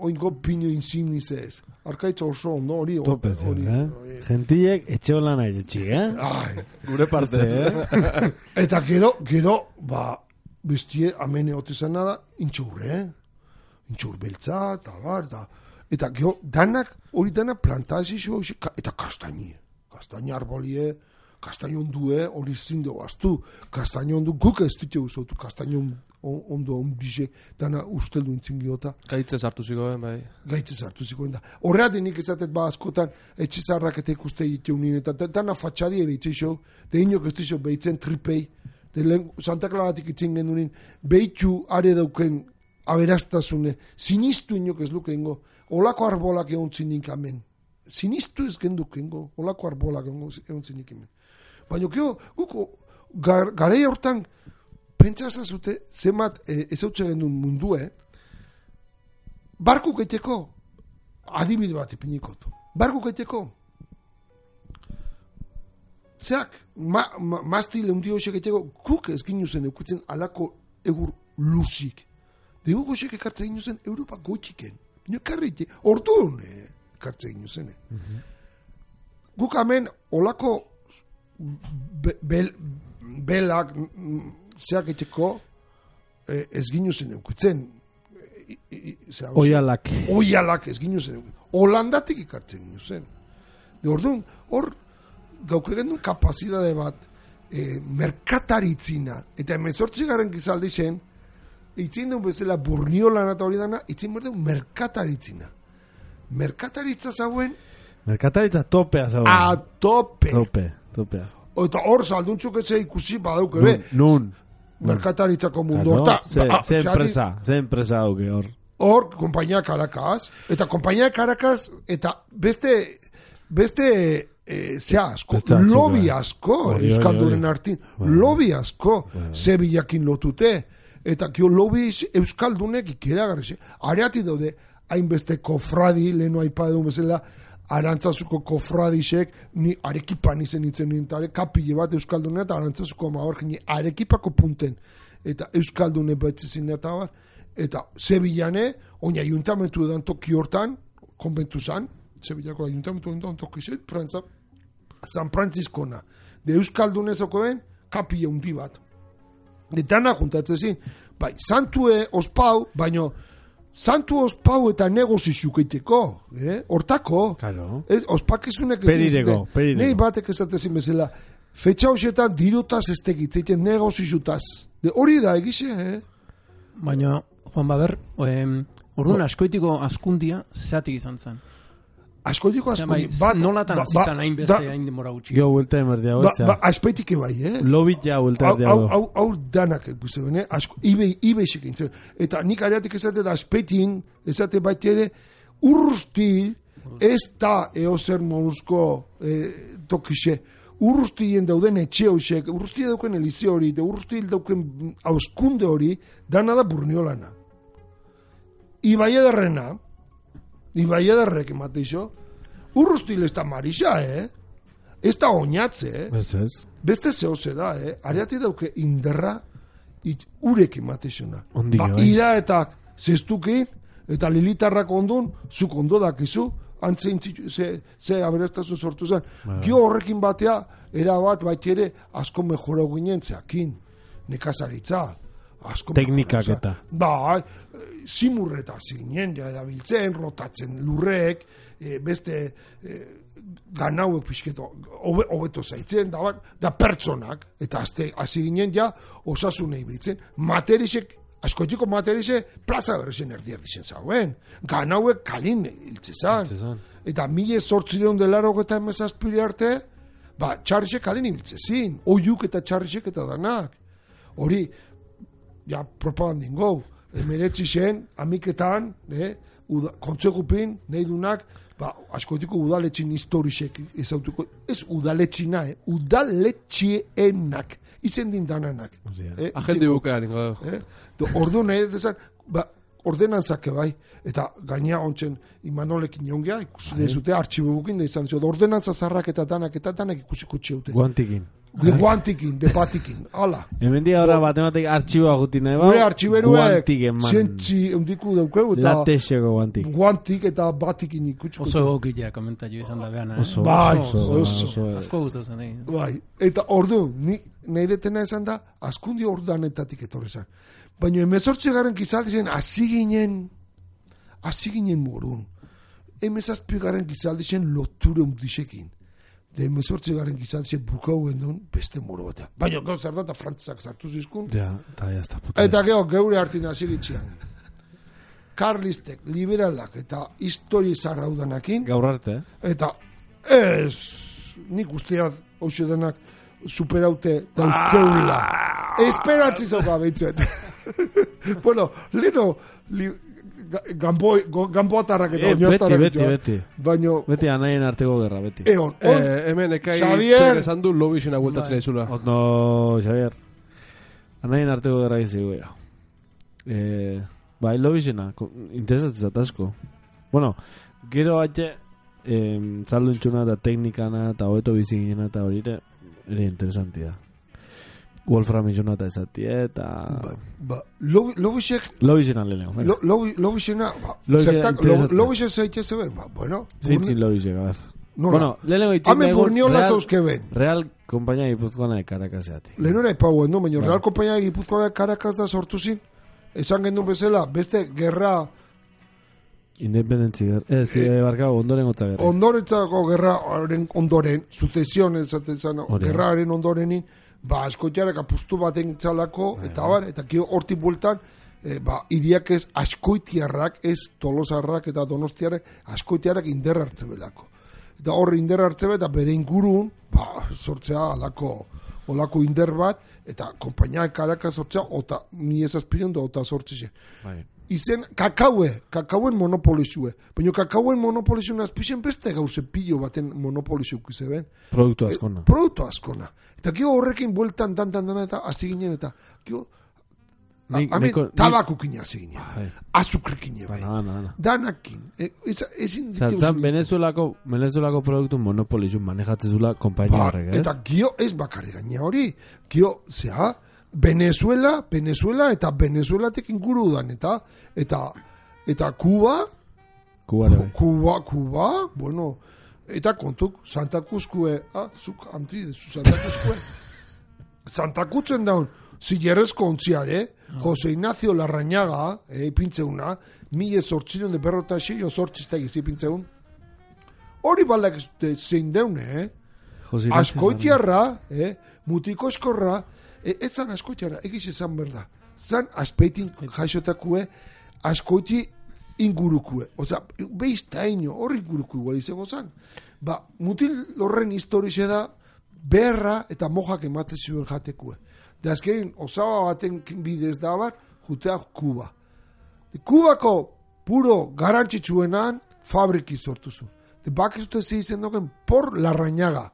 Oingo pinu insignize ez. Arkaitza oso ondo hori. Topez, gentiek etxeo lan nahi detxik, Gure partez. Eta gero, bestie amene otezan nada, intxur beltza, eta bar, eta gero, hori danak plantazio, eta kastaini arbolie, kastaino ondue, hori zindo baztu, kastaino ondu, guk ez dute usautu, kastaino ondo ondize, dana usteldu intzingiota. Gaitzez hartu zikoen, bai. Gaitzez hartu zikoen da. Horreatik nik ezatet askotan, etxezarrak eta ikuste egiteunin, eta dana fatxadie behitzeixo, de inok ez duzo behitzen tripei, Santa Claratik itzen genunin, behitu are dauken aberastasune, sinistu inok ez lukengo, olako arbolak egon zinik amen. Sinistu ez gendukengo, olako arbolak egon zinik amen. Baina, guko, garei hortan, pentsazazute, zemat ez hau txegen duen mundue, barku gaiteko, adibide bat ipinikotu. Bargo gaiteko, zeak, mastil eundi hoxek gaiteko, guk ez ginu zen eukutzen alako egur luzik. Degu goxek ekartzen ginu zen Europa goitxiken. Bino karriti, orduan ekartzen ginu zen. Guk hemen olako belak zeak gaiteko ez ginu zen eukutzen. Oialak ez ginu zen. Holandatik ikartzen ginu zen. De orduan, hor gauk egendun kapazidade bat merkataritzina eta 18. gizaldi zen itzin duen bezala Burniolan eta hori dana itzin berdun merkataritzina. Merkataritza zauen merkataritza topea zauen. A tope. Topea. Eta hor salduntzuk ez ikusi badauke be. Nun. Merkataritzako mundu horta. Ze enpresa dauke hor. Hor, Kompainia Caracas, eta Kompainia Caracas, eta beste zea asko, lobi asko, Euskaldunen artin, lobi asko, Sevillakin lotute, eta kio lobi Euskaldunek ikeragarri, areati daude, hainbeste kofradi, lehenu aipadu bezala, Arantzazuko kofradisek, ni Arekipan izen nintzen, kapile bat Euskaldunen, eta Arantzazuko maor, ni Arekipako punten, eta Euskaldune batzizin eta bar, eta Sevillane, oin ayuntamentu edan toki hortan, konbentu zan, Sevillako ayuntamentu edan toki zen, San Franciscona, de Euskaldunezoko kapile hundi bat. Detana juntatzen zin, bai, santue ospau, baino, santu ospau eta negozizuk eiteko, hortako. Claro. Ospakizunek peridego. Nei batek esatezin bezala, fetxa hoxetan dirutaz ez tegitzeiten negozizutaz. Hori da egize, Baina, Juan Baber, orduan askoitiko askundia zeatik izan zen. Askoitiko askundia. Nolatan zizan hain beste hain demora gutxi. Jo, vuelta emerdia hotzea. Aspeitike bai, Lobit ja, vuelta emerdia. Hau danak, ibeixik intzen. Eta nik areatik ezate da aspeitin, ezate baita ere, urrusti ez da eozer moruzko tokixe. Urrustien dauden etxe hoxek, urrustien dauken elize hori, urrustien dauken auskunde hori, dana da Burniolana. Ibai ederrek emate iso, urrustil ez da marisa, ez da oinatze, beste zehoze da, areati dauke inderra, urek emate isona. Ira eta zestukin, eta lilitarrak ondun, zuk ondo dakizu, antzein ze aberastazun sortu zen. Gio horrekin batea, erabat ere asko mejorau ginen zeakin, nekazaritza, teknikak eta. Ba, simurreta zinen, ja erabiltzen, rotatzen lurrek, beste ganauek pixketo, hobeto zaitzen, da pertsonak, eta hasi ginen ja, osasunei biltzen, materisek, askotiko materize, plaza berrezen erdizen zauen. Ganauek kalin hiltzezan. Eta 1880 arte, txarrisek kalin hiltzezin. Oiuk eta txarrisek eta danak. Hori, ja, propagandin gau. Emeretzi zen, amiketan, kontzegupin, nahi dunak, askotiko udaletxin historisek ezautuko. Ez udaletxina, udaletxienak. Izen din dananak. Agende bukean, ordu nahi dezan, ordenantzake bai, eta gaina ontzen Imanolekin jongea, ikusi dezute, artxibo bukin da izan zio, ordenantza zarrak eta danak ikusiko txeute. Guantikin. De batikin, ala. Hemen dia ora batematik artxiboa guti nahi Gure artxiberuek, guantiken, man. zientzi eundiku daukeu, eta latexeko guantik. Guantik eta batikin ikutsiko. Oso egokitea komentatu izan da behan, Oso. Asko guztu zen, Bai, eta ordu, nahi detena esan da, askundi ordanetatik etorri zen. Baina 18. gizaldi zen, hasi ginen morun. 17. gizaldi zen loture undisekin. De 18. gizaldi zen bukau gendun beste moro batean. Baina gau zer da eta frantzak sartu zizkun. Ja, eta jazta puta. Eta geure hartin hasi gitxian. Karlistek, liberalak eta histori zarraudanakin. Gaur arte, Eta nik usteat hause denak superaute dauzkeula. Esperatzi zauka behitzet. Bueno, leno gamboatarrak eta oinaztarrak. Beti. Baina... Beti anaien arteko gerra, beti. Hemen ekai zer esan du lobixena gueltatzen aizula. No, Xavier. Anaien arteko gerra egin zigu, Bai, lobixena, interesatzen asko. Bueno, gero batxe, zaldun eta teknikana eta hobeto biziginena eta hori ere interesantia. Wolfram izuna eta ezatie eta... Lobixek... Lobixena lehenko. Lobixena... Lobixek zaite zeben, bueno... Zintzin Lobixek, a ver. Bueno, lehenko itxin hame burniola zauzke ben. Real Kompainia Gipuzkoana de Caracas-eati. Lehenora epaguen du, baina Real Kompainia Gipuzkoana de Caracas da sortu zin. Esan gendun bezala, beste gerra... Independentzi gerra. Barkau, ondoren gotza gerra. Ondorentzako gerraren ondoren, sucesion ezaten zan, gerraren ondorenin, askoitiarak apustu baten txalako, eta kio hortik bueltan, idiak ez askoitiarrak, ez tolosarrak eta donostiarrak, askoitiarrak inderra hartze belako. Eta horre inderra hartze eta bere ingurun, sortzea olako inder bat, eta kompainia Caracas sortzea, ota mi ezazpireun da ota sortzize. Izen, kakauen monopolizue. Baina kakauen monopolizue azpixen beste gauze pillo baten monopolizue kuzeben. Produktu askona. Produktu askona. Eta kio horrekin bueltan dan eta hasi ginen eta kio tabakukin hasi ginen. Azukrekin bai. Danakin. Zan, Venezuelako produktu monopolizue manejatzezula kompainia horrek, ez? Eta kio ez bakarri gaina hori. Kio, zea... Venezuela eta Venezuelatek inguru dan eta Cuba, bueno, eta kontuk Santa Cruzkue, zuk antri dezu Santa Cruzkue. Santa Cruzen daun, zillerrezko ontziare, Jose Ignacio Larrañaga, ipintzeuna, 1800 de berrota xillo sortziztak izipintzeun. Hori balak zein deune, askoitiarra, mutiko eskorra, ez zan askoitiara, egiz ezan berda. Zan aspeitin jaixotakue, askoiti ingurukue. Oza, beiztaino hori ingurukue igual izango zan. Mutil horren historize da, berra eta mojak emate zuen jatekue. Da azkein, osaba baten bidez da bar, jutea Kuba. Kubako puro garantzitsuenan fabriki sortuzu. Bakizute ze izen doken por Larrañaga.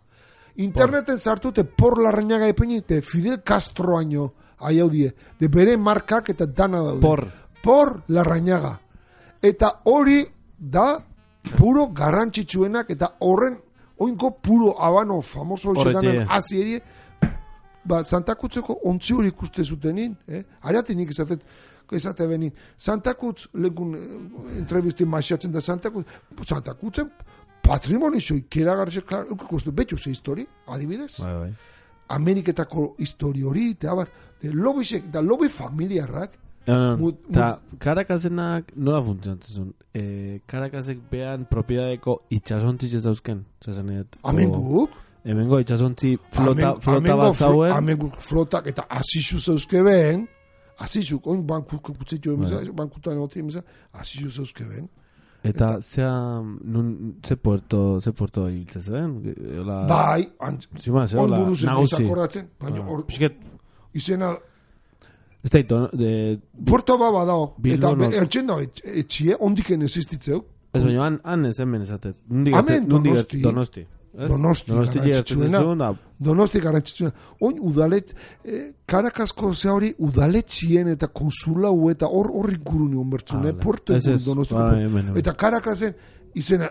Interneten sartute por Larrañaga epeni, te Fidel Castro año aiaudie, de bere markak eta dana daude. Por Larrañaga. Eta hori da puro garrantzitsuenak eta horren oinko puro habano famoso xedanen azierie, Santa Cruzeko ontzi hori ikuste zutenin, ariatenik esate benin. Santa Cruz, lekun entrevistin maixatzen da Santa Cruzen, patrimonizo ikeragarrizek, klar, ikustu, betxo ze histori, adibidez. Bai. Ameriketako histori hori, eta lobisek, da lobi familiarrak. Eta Caracasenak nola funtzionatzen? Caracasek behan propiedadeko itxasontziz ez dauzken? Amenguk? Hemengo itxasontzi flota bat zauen? Amenguk flotak eta asizu zeuzke behen, asizuk, oin bankuko kutzitio bankutan egote emeza, asizu zeuzke behen. Eta ze puerto ibiltzen zen? Bai, on buruzen izakorratzen, izena... Ez da Puerto baba dao, eta eltsen dao etxie, ondiken existitzeu. Ez baina, han ez hemen esatet. Hemen Donosti. Donosti garantzitzuena. Oin udalet, Caracasco ze hori udaletxien eta konsulau eta horri guruni onbertzune, Puerto Donosti. Eta Caracasen izena,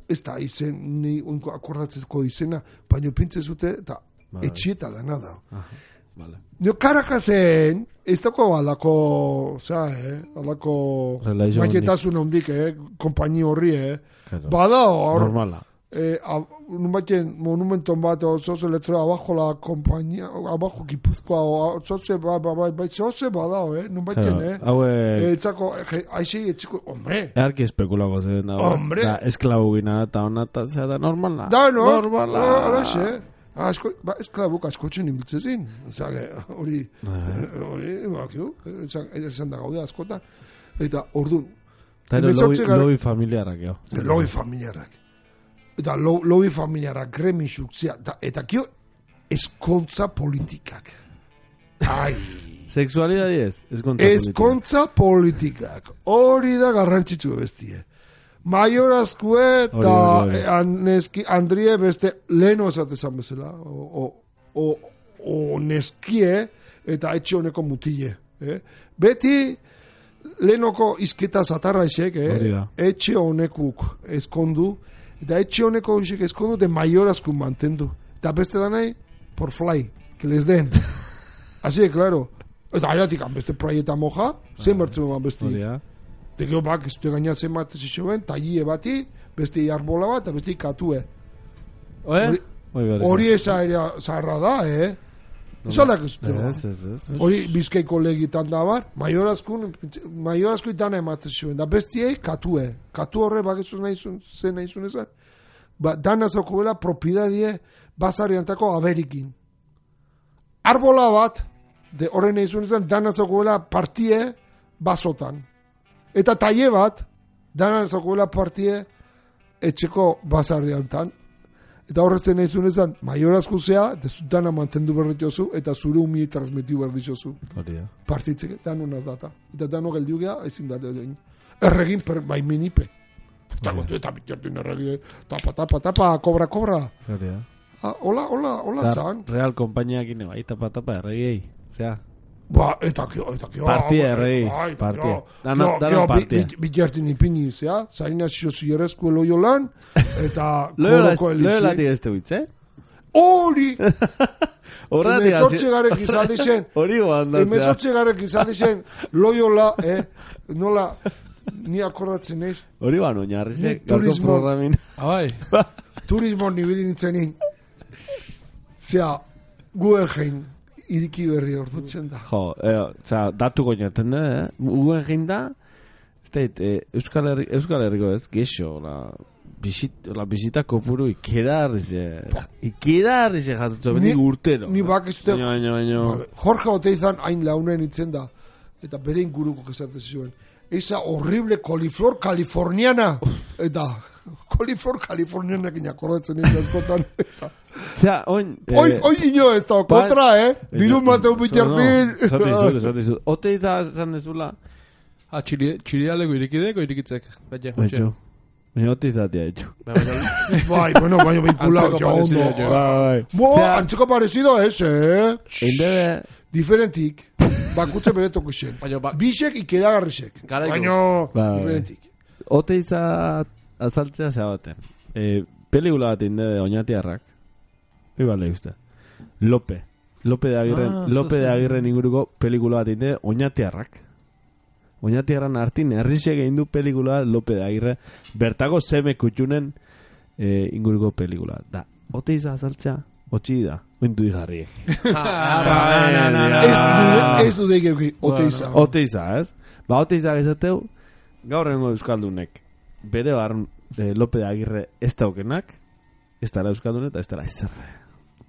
ez da izen, ni akordatzeko izena, baina pintzezute eta etxieta dana da. Nio Caracasen, ez dako alako, alako maiketasun hondik, kompaini horri, badao, normala. Monumenton bat, zoze letra, abajo la compañía, abajo Gipuzkoa, zoze badao, nun baiten, etzako, aixei, etziko, hombre. Earki espekulako zen, hombre. Esklabu gina, eta honata, zera, normala. Da, no, araxe. Esklabuk askotzen ibiltzezin. Hori, esan da gaude askotan. Eta, orduan. Lobi familiarrak, jo. Lobi familiarrak. Eta lobi familiarrak gremixuk, eta kio, eskontza politikak. Ai. Sexualidadi ez? Eskontza politikak. Hori da garrantzitsu bestie. Maiorazkue eta Andrie beste leheno esatezan bezala. O neskie eta etxe honeko mutile. Beti lehenoko izketa zatarra esek, Hori da. etxe honekuk eskondu, eta etxe honeko esek eskondu, de maiorazkun mantendu. Eta beste da nahi, por fly, que les den. Así, claro. Eta aratik, beste proieta moja, zen bertzen beste. Hori da. De gero bak, ez du gainatzen bat ez ben, talie bati, beste arbola bat, eta beste katue. Hori eza ere zaharra da, Esaldak ez du. Hori Bizkaiko legitan da bar, maiorazko itana ematen zuen, da bestiei katue. Katu horre bakizu zen nahi zuen ezan. Dana zauko bela propiedadie basariantako aberikin. Arbola bat, de horren nahi zuen ezan, dana zauko bela partie basotan. Eta taie bat, dana zauko bela partie etxeko basariantan. Eta horretzen nahi zuen ezan, maiorazko zea, dana mantendu berritiozu, eta zure umie transmitiu berditiozu. Partitzeke, dano data. Eta dano geldiu geha, ezin da egin. Erregin baimenipe. Eta bitiartin erregi, tapa, kobra. Hola zan. Real kompainiak ine, bai, tapa, erregiei. Zea. Eta partia erregi, partia. Dana partia. Bitiartin ipini, zea, zaina xiozu Loiolan, eta Loiola tigezte huitz, Hori! Horretik Emezortze garek izan dizen. Hori goandatzea. Emezortze garek izan dizen, Loiola, nola, ni akordatzen ez. Hori oinarrizek, gaurko programin. Abai. Turismo nibili nintzenin. Zea, Guggenheim iriki berri ordutzen da. Datu goinaten da, Guggenheim da, Euskal Herriko ez, gexo, la bisita kopuru ikedarrize jatutzo, benik urtero. Ni bakizute, baino. Jorge Oteizan hain launen itzen da, eta bere inguruko kezatzen zuen. Esa horrible coliflor californiana. Eta coliflor californiana que akordatzen ez askotan. Osea, oin ino ez da kontra, Dirun bateu bitartin. Zatizu. Oteiza esan dezula. Txirialeko irikitzek. Baina oteizatia etxu. Bai, baina vinculado ya ondo. Antzeko parecido ese, Diferentik. Bakutze bere tokusen. Bisek ikeragarrisek. Baina diferentik. Oteiza azaltzea zeabaten. Pelikula bat inde oinatiarrak. Ibalde uste. Lope de Agirren inguruko pelikula bat inde oinatiarrak. Oinatiarran hartin herrisek egin du pelikula Lope de Agirre. Bertako zeme kutxunen inguruko pelikula. Da, oteiza azaltzea otxi da. Ointu dijarriek. Ez du deik oteiza. Oteiza, ez? Oteiza gezateu, gaur rengo euskaldunek. Bere barren Lope de Agirre ez daukenak, ez dara euskaldunet, ez dara izerre.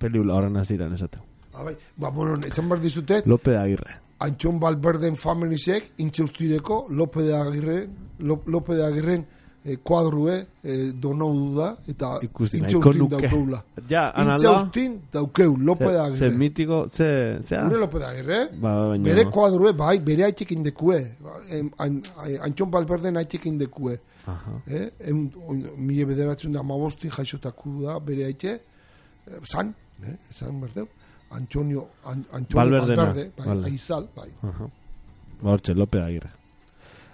Pelikula horren aziran esateu. Ezan behar dizutet, Lope de Agirre. Antxon Balberden familisek, intxeustireko Lope de Agirren kuadrue donou da, eta intxeustin daukeula. Intxeustin daukeu, Lope de Agirre. Ze mitiko, ze... Gure Lope de Agirre, bere kuadrue, bai, bere haitxekin dekue. Antxon Balberden haitxekin dekue. Mile bederatzen da mabostin jaixotaku da, bere haitxe. Zan berdeu. Antonio Valverde, Aizal, bai. Hortxe, Lope de Agirre.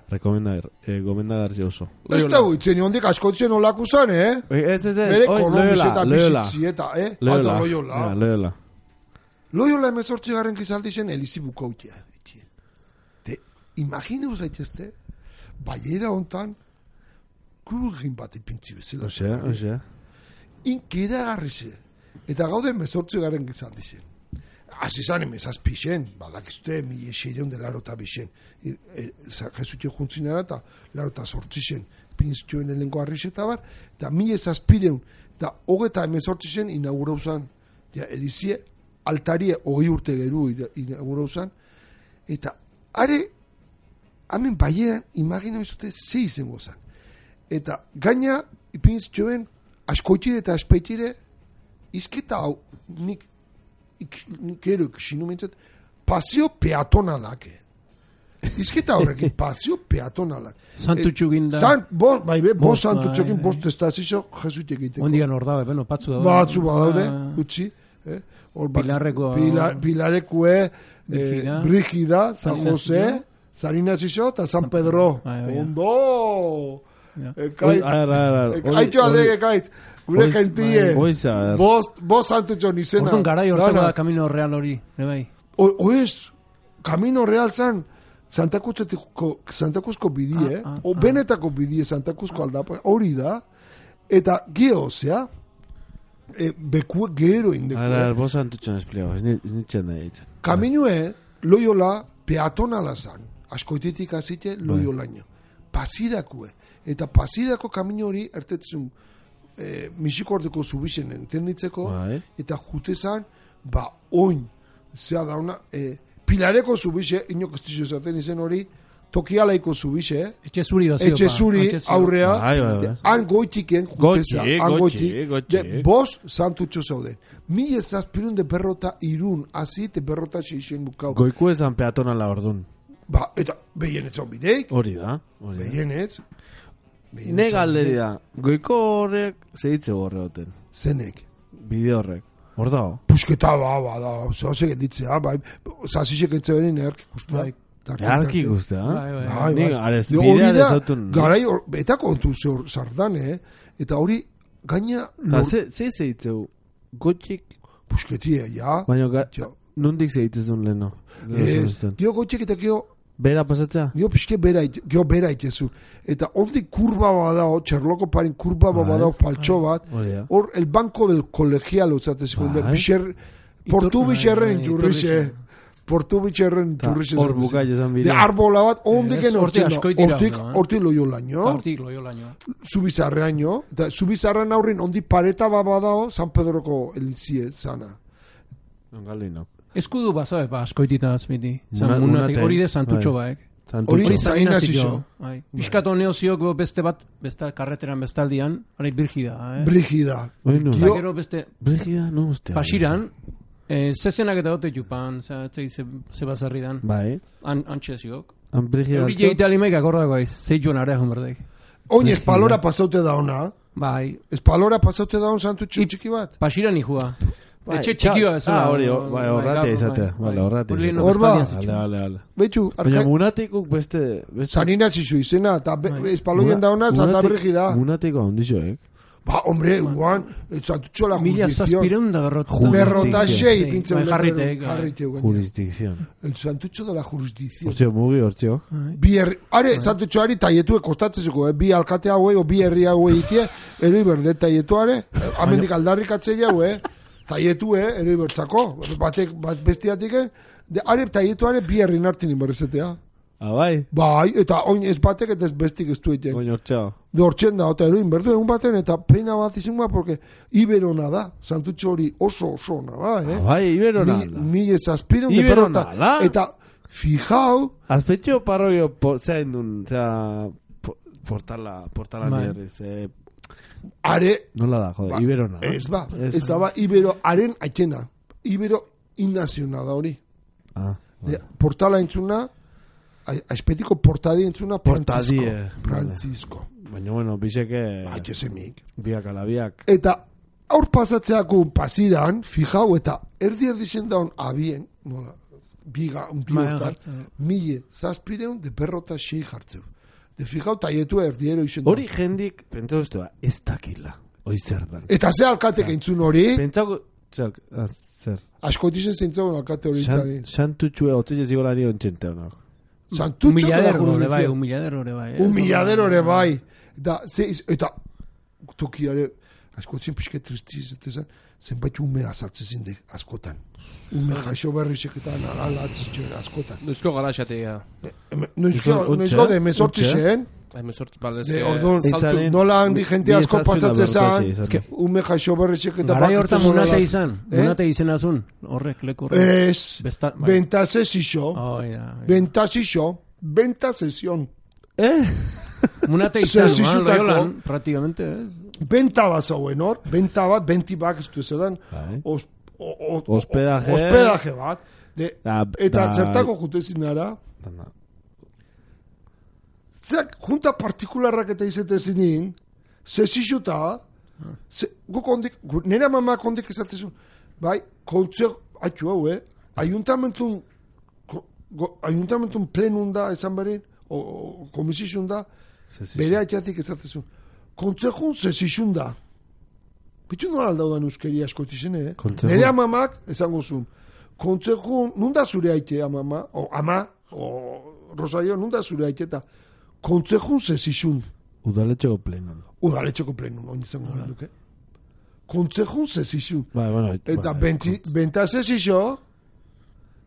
Gomendagarri oso. Ez da buitzen, hondik askotzen olako zan, Ez, bere kolomiseta bizitzieta, Loyola. Loyola emezortzi garen gizaldi zen Elizi bukautia. Imagine uzaitezte, baiera hontan, kurugin bat ipintzi bezala. Osea. Inkeragarri ze. Eta gaude emezortzi garen gizaldi zen. Azizan emezazpixen, badakizute, 1600 Jesutio juntzinara eta larota sortzixen, pinztioen elenko arrixeta bar, eta 1700, eta hogeta emezortzixen inaugurauzan, Elizie altarie 20 urte geru inaugurauzan, eta are, hamen baieran, imagina bizute, ze izango zan. Eta gaina, pinztioen, askoitire eta aspeitire, izketa hau, nik ero ikisinu mentzat, pasio peatonalak. Izketa horrekin, pasio peatonalak. Santutxu ginda. Bo santutxokin bost estazio, jesuite egiteko. Ondigan hor dabe, beno, patzu daude. Batzu badaude, utzi. Pilarrekoa. Pilarekue, Brigida, San Jose, San Ignacio eta San Pedro. Ondo! Aitxo aldege kaitz. Gure gentie. Bost santutxon izena. Orduan garai hortako da Camino Real hori. Oez, Camino Real zan, Santa Cruzko bidie, o benetako bidie Santa Cruzko aldapa, hori da, eta geozea, bekue gero indekue. Ara, vos santutxon espliago, ez nintzen nahi ditzen. Kaminue, Loyola, peatonala zan, askoitetik azite Loyolaino. Pasirakue, eta pasirako kamino hori, ertetzun, Mexikordeko zubixen entenditzeko, eta jute zan, oin, zea dauna, Pilareko zubixe, inok estizio zaten izen hori, Tokialaiko zubixe, Etxe zuri aurrea, han goitiken, bos santutxo zauden. 1700 de berrota irun, azit berrota xeixen bukau. Goiku ezan peatonala ordun. Eta behienetz hon bideik. Hori da. Behienetz. Ne galderi da, goiko horrek zehitze horre hoten. Zenek. Bide horrek. Hor da? Pusketa da, zehose genditzea, zazisek entzebenin erki guztua. Erki guztua? Nik bidea dezautun. Garai, eta kontu zardan, eta hori gaina... Ze zehitzeu, gotxik... Pusketia, ja. Baina, nondik zehitzezun leheno? Dio gotxik eta gio... Bera pasatzea? Dio pixke bera itezu. Eta ondik kurba badao, txerloko parin kurba badao faltxo bat, hor el banco del colegial, portu bitxerren inturrixe. Hor bukai esan bide. De arbola bat, ondik hortik Loyolaino. Zubizarreaino. Eta zubizarrean aurrin ondik pareta badao, San Pedroko elizie zana. Nongalino. Eskudu baza, askoitita azmiti. Hori de santutxo baek. Hori zaina zixo. Piskato neoziok beste bat, beste karreteran bestaldian, hori Brigida. Brigida. Brigida, no, ostia. Pasiran, zezenak eta dote jupan, zebazarri dan. Bai. Antxeziok. Brigida. Hori jeite alimaik akordako aiz, zeitzuen arehun berdek. Oin espalora pasaute da ona. Bai. Espalora pasaute da on santutxo txiki bat. Pasiran nijua. Etxe txikioa ez da. Horratia izatea. Horratia. Horba. Vale. Betxu. Baina munatikuk beste... San Ignacio izena, eta espaloien da ona, Santa Brigida. Munatiko handixoek. Hombre, guan, santutxo la jurisdicción. 1000 da berrota xei, pintzen. Jurisdicción. El santutxo de la jurisdicción. Hortzio, mugi, hortzio. Santutxoari taietuek kostatzezuko, bi alkate hauei, o bi herri hauei itie, eroi berde taietuare, amendik aldarrik atzeia, taietu, eroi bertzako, batek bestiatik, are taietuare bi herri nartin inberrezetea. Bai? Bai, eta oin ez batek eta ez bestik ez dueten. Oin hortxeo. De hortzen da, eta eroin berdu egun baten, eta peina bat izan ba, porque Iberona da, santutxo hori oso ona da, Bai, Iberona da. Mil zazpireun de perrota. Eta, fijau... Azpetxo parroio, zein dun, portala nierriz, Are... Nola da, jode, Iberona. Ez da ba, Ibero, haren aikena. Ibero innaziona da hori. Portala entzuna... Aizpetiko portadi entzuna Francisco. Baina, bueno, biseke... Jesemik. Biak alabiak. Eta aur pasatzeako pasiran, fijau, eta erdi zen daun abien, nola, un pilotar, 1700 de berrota xei jartzeu. De fijau, taietua erdiero izen daun. Hori jendik, pentsa duztua, ez dakila. Hoi zer dan. Eta ze alkatek entzun hori? Pentsako... Zer? Askotizen zentzagun alkate hori itzari. Santutxue, otzile zigolari ontxente honak. Humilladero ere bai. Eta tokiare askotzen pixke tristiz zenbait ume azaltzezin de askotan. Ume jaixo berrizek eta ala atzizioen askotan. Noizko gara xatea. Noizko de mesortzisen. Nola handi jente asko pasatzezan. Ume jaixo berrizek eta garai hortan munate izan. Munate izenazun. Horrek leku horrek. Ez. Bentasesixo. Bentasesión. Munate izan. Loyolan, praktikamente. Benta bat zauen hor. Benta bat, bentibak ez du zedan. Hospedaje bat. Eta zertako jutezin ara. Zek, junta partikularrak eta izetezinin, zezixuta, nera mamak ondik esatzezun, bai, kontzer, hau, ayuntamentu ayuntamentun plenun da, esan berin, o komisizun da, bere aitzatik ezatezun. Kontzejun zezizun da. Bitu nola aldaudan euskeria askotizen, Nere amamak, esango zuen, kontzejun, nunda zure aite, ama, o Rosario, nunda zure aite, eta kontzejun zezizun. Udaletxeko plenun. Udaletxeko plenun, oin izango duke. Kontzejun zezizun. Eta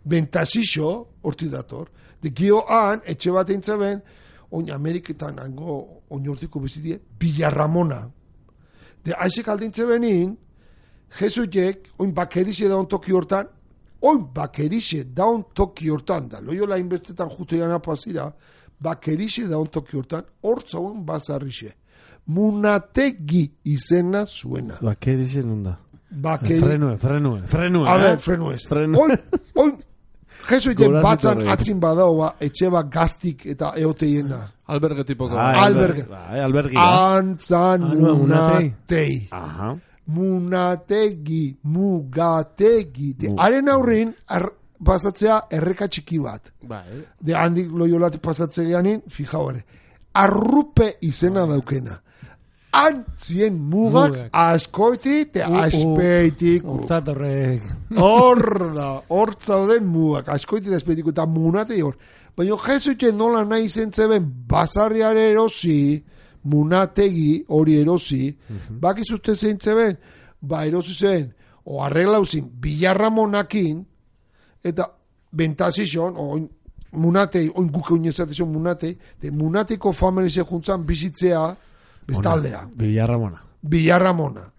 bentazixo, horti dator. De gioan, etxe bat eintzeben, oin Ameriketan, oin hortiko bezidie, Villarramona. De aizek aldintze benin, Jesuiek, oin bakerixe daun toki hortan, da loiola inbestetan jutean apazira, bakerixe daun toki hortan, hortzauen bazarrixe. Munategi izena zuena. Bakerixe nunda. Frenue. A ver, frenuez. Oin, Jesuiek batzan atzin badao, etxe bat gaztik eta eoteiena. Alberge tipoko. Alberge. Antzan munatei. Aha. Mugategi. Haren aurrin, pasatzea erreka txiki bat. De handik loiolati pasatzegeanin, fijau ere. Arrupe izena daukena. Antzien mugak askoiti te aspeitik. Hortzauden mugak askoiti te aspeitik eta munatei hor. Baina Jesuite nola nahi zentzeben basarriare erosi, munategi hori erosi, bakizute zeintzeben, erosi zen, o arreglauzin, Villarramonakin, eta bentazizon, munatei, oin guke uinezatezon munatei, munateiko familize juntzan bizitzea, bestaldea. Villarramona.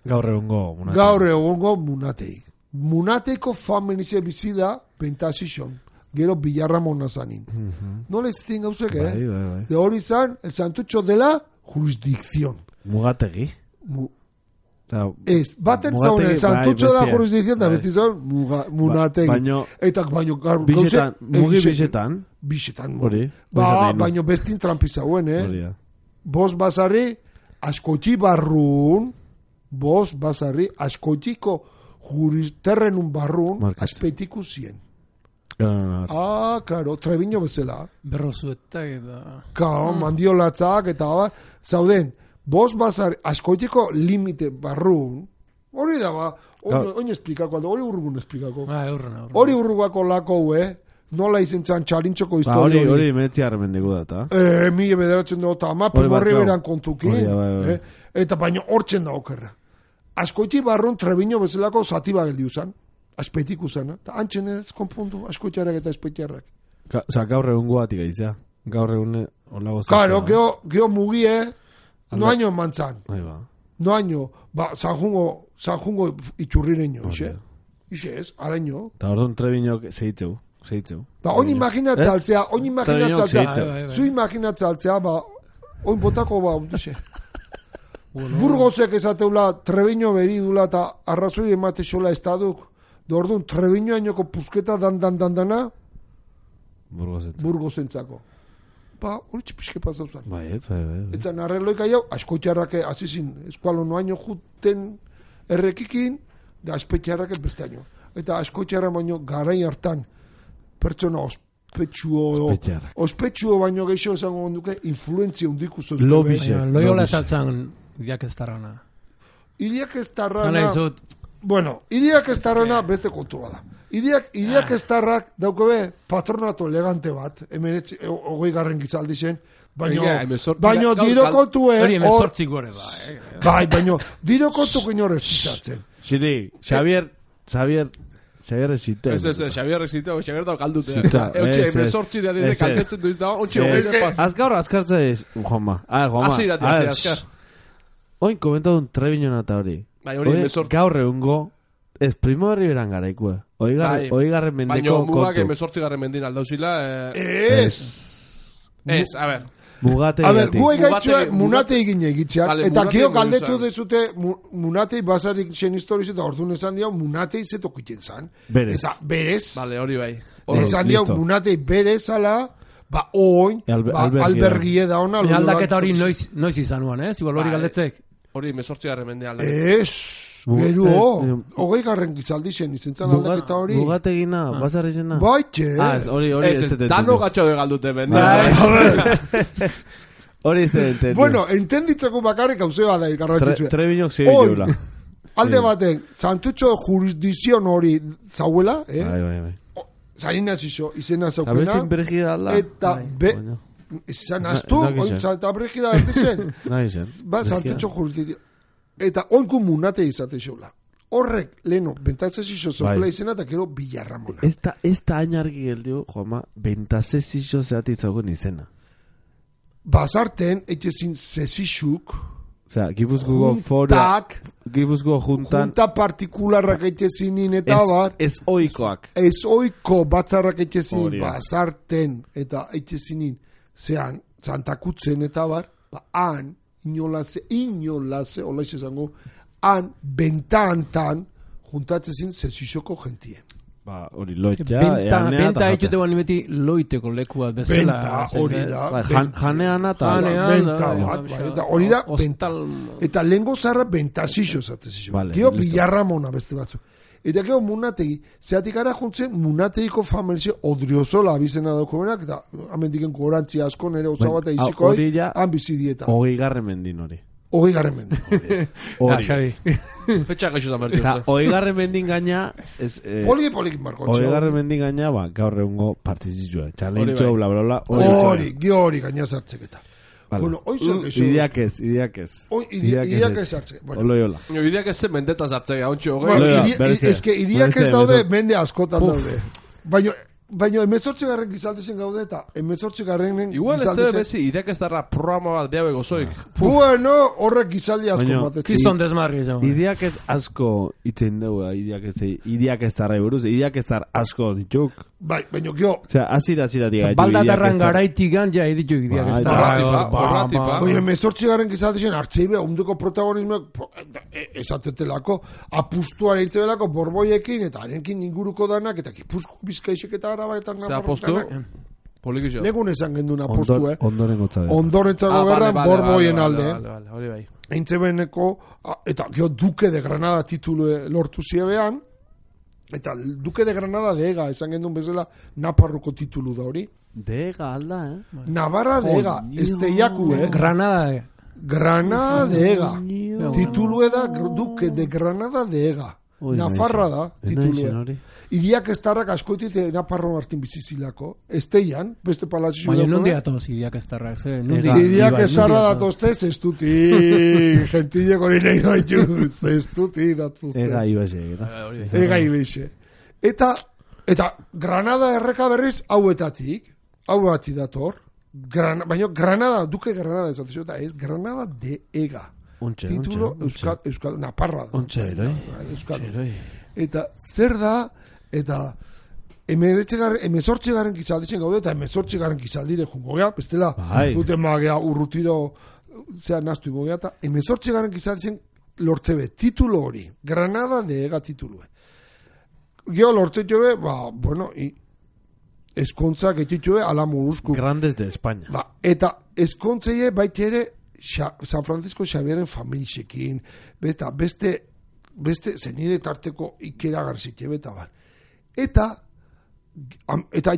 Gaur egongo munatei. Munateiko familize bizida, bentazizon. Gero Villarramona zanin. Nola izaten gauzek, De hori zan, el santutxo de la jurisdicción. Mugategi. Baten zaune, el santutxo de la jurisdicción, da besti zaun, munategi. Eta baino, mugi bisetan. Bisetan, baino bestin trampizauen, Bos basarri, askoti barrun, askotiko terrenun barrun, aspetiku zien. Claro, Treviño bezala. Berrozuetak eta... Mandiolatzak eta zauden, bos bazar askoitiko limite barrun, hori da oin esplikako, hori urrugun esplikako. Hori urrugako lako, nola izentzan txarintxoko historia. Hori metziarren mendigu data. Mila bederatzen dut, ama primorri beran kontukin. Eta baino hortzen da okerra. Askoiti barrun Treviño bezalako zati bageldi usan. Aspetik uzana. Ta antxen ez konpuntu, askoitiarrak eta aspetiarrak. Gaur egun guatik aizea. Gaur egun olago zazua. Claro, geho mugie, noaino mantzan. Noaino, zanjungo itxurrireño, ixe ez, araño. Ta orduan Treviñok zeitzeu. Oin imaginatzaltzea, zu imaginatzaltzea, oin botako dixe. Burgosek ezateula Treviño beridula eta arrazoi emate xola estaduk. Orduan, Treviño ainoko pusketa dana Burgosentzako. Hori txipiske pasauzan. Etzan arreloika jau, askoitiarrake azizin eskualo noaino juten errekikin, da aspetiarrake beste aino. Eta askoitiarra baino garai hartan pertsona ospetsuo baino geixo esango duke influentzia undiku zoztu. Loiola esaltzan Iliak Estarrona. Iliak Estarrona... Bueno, Iliak Estarrona beste kontu bada. Iliak Estarrak daukobe patronato elegante bat, 20. gizaldi zen, baino diro kontue... Hori emezortzik gore ba. Baino diro kontu kinore zitatzen. Xiri, Xavier ezite. Xavier ezite, Xavier da galdute. Eutxe, emezortzik da dide kaltetzen duiz da, ontxe hori. Azkaur azkartza ez, Juanma. Azkar. Oin komentadun Treviño nata hori. Gaur egungo, ez primo herri beran garaikue. Oigarren mendeko kontu. Baina mugak emezortzigarren mendin aldauzila. A ver. Guai gaitzua munatei gine egitzeak. Eta gio galdetu dezute munatei basarik zen historiz eta orduan esan diau munatei zetokiten zan. Berez. Vale, hori bai. Esan diau munatei berezala, oin, albergie da ona. Aldaketa hori noiz izanuan, Igual hori galdetzek. Hori 18. mende aldaketa. Gero, 20. gizaldi zen, izentzan aldaketa hori. Mugategina, bazarrizena. Baite. Hori ez Ez, dano gatxo de galdute ben. Hori ez te. Bueno, entenditzeko bakarrik hauzea da garrantzitsua. Trebinok zire jola. Alde baten, Santutxo jurisdizion hori zauela, Bai. Zainaz iso, izena zaukena. Abestin bergida alda. Eta, izan aztu, eta bergida erditzen. Nahi zen. Santutxo jurisdizion. Eta oinku munate izate xola. Horrek, leheno, bentazezixo zokela izena, eta kero Bilarramona. Ez da ainarki geldio, Juanma, bentazezixo zehatitzagoen izena. Bazarten, etxezin zezixuk, Osea, Gipuzkoako juntak, Gipuzkoako juntan, junta partikularrak etxezinin eta bar, ez oikoak. ez oiko batzarrak etxezin, Hori da. bazarten eta etxezinin, zean, zantakutzen eta bar, han, inolaze, hola izango, han, bentantan, juntatzezin zezixoko gentien. Hori loitza, Benta egite guan nimeti loiteko lekua bezala. Benta, hori da. Janean eta Benta bat, eta hori da, benta. Eta lehengo zarra bentazixo zatezixo. Vale, Gero listo. Bilarramona beste batzu. Eta gero munategi, zeatik gara juntzen munategiko familizio odriozola abizena daukoenak, eta amendiken gorantzi asko nere osabata iziko hori ja- han bizi dieta. 20. mendin hori. 20. mende. Hori. Xabi. Fetxa gaixo zan bertu. Eta 20. mendin gaina, Poliki marko. 20. mendin gaina, gaur egungo partizizua. Hori Txalentxo, bai. bla, bla, bla. Hori, gaina sartzeketa. Bueno, hoy se Idiak ez. Hoy idiak ez sartze. Bueno, Oloiola. Ideak ez zen mendetan zartzea, hauntxo, bueno, Hori da, es que idiak ez berezea, daude berezea. mende askotan daude. Baina 18. gizaldezen gaude eta 18. Igual ez debe bezi, ideak ez darra programa bat behabe gozoik. Bueno, horrek gizaldi asko Baina, batetzen. Kiston desmarri izan. Idiak ez asko itzen dugu, idiak ez darra buruz, idiak ez dar asko dituk. Bai, baina gio, Osea, azira gaitu. Baldatarran garaitik ja editu idiak ez da. Borratipa. oie, 18. gizaldezen hartzeibe, ondoko protagonismoak esatetelako, apustuaren itzebelako borboiekin, eta harenkin inguruko danak, eta Gipuzko Bizkaixek eta Araba eta Zer apostu? Polikizio. Legun esan gendun apostu, Ondoren gotza dela. Ondorentzako gerran borboien alde. Hori bai. Eintzebeneko, eta gio Duque de Granada titulu lortu ziebean, eta Duque de Granada de Ega, esan gendun bezala, Naparroko titulu da hori. Dega alda, Navarra de Ega, esteiaku, Granada. Granada de Ega. Titulu da Duque de Granada de Ega. Nafarra da, titulu. Idiak ez darrak askoitit Naparro hartin bizizilako. Esteian, beste palatxu. Baina nundi atoz idiak ez darrak. Idiak ez darra datozte, zestuti. Gentile hori nahi doitu. Zestuti datozte. Ega ibase. Ega ibase. Eta Granada erreka berriz hauetatik dator. Baina Granada, Duque Granada esatezio, eta ez Granada de Ega. Titulo Euskal Naparra da. Ontsa eroi. Eta zer da, eta 18. gizaldizen gaude, eta 18. gizaldire jungo gea, bestela, guten magea urrutiro zea naztu ingo gea, eta 18. gizaldizen lortzebe, titulo hori, Granada de Ega titulue. Geo lortze jobe, bueno, eskontzak etxitxue ala moruzku. Grandes de España. Eta eskontzeie baita ere San Francisco Xavieren familixekin, beta beste zenide tarteko ikera garzitxe beta bar. Eta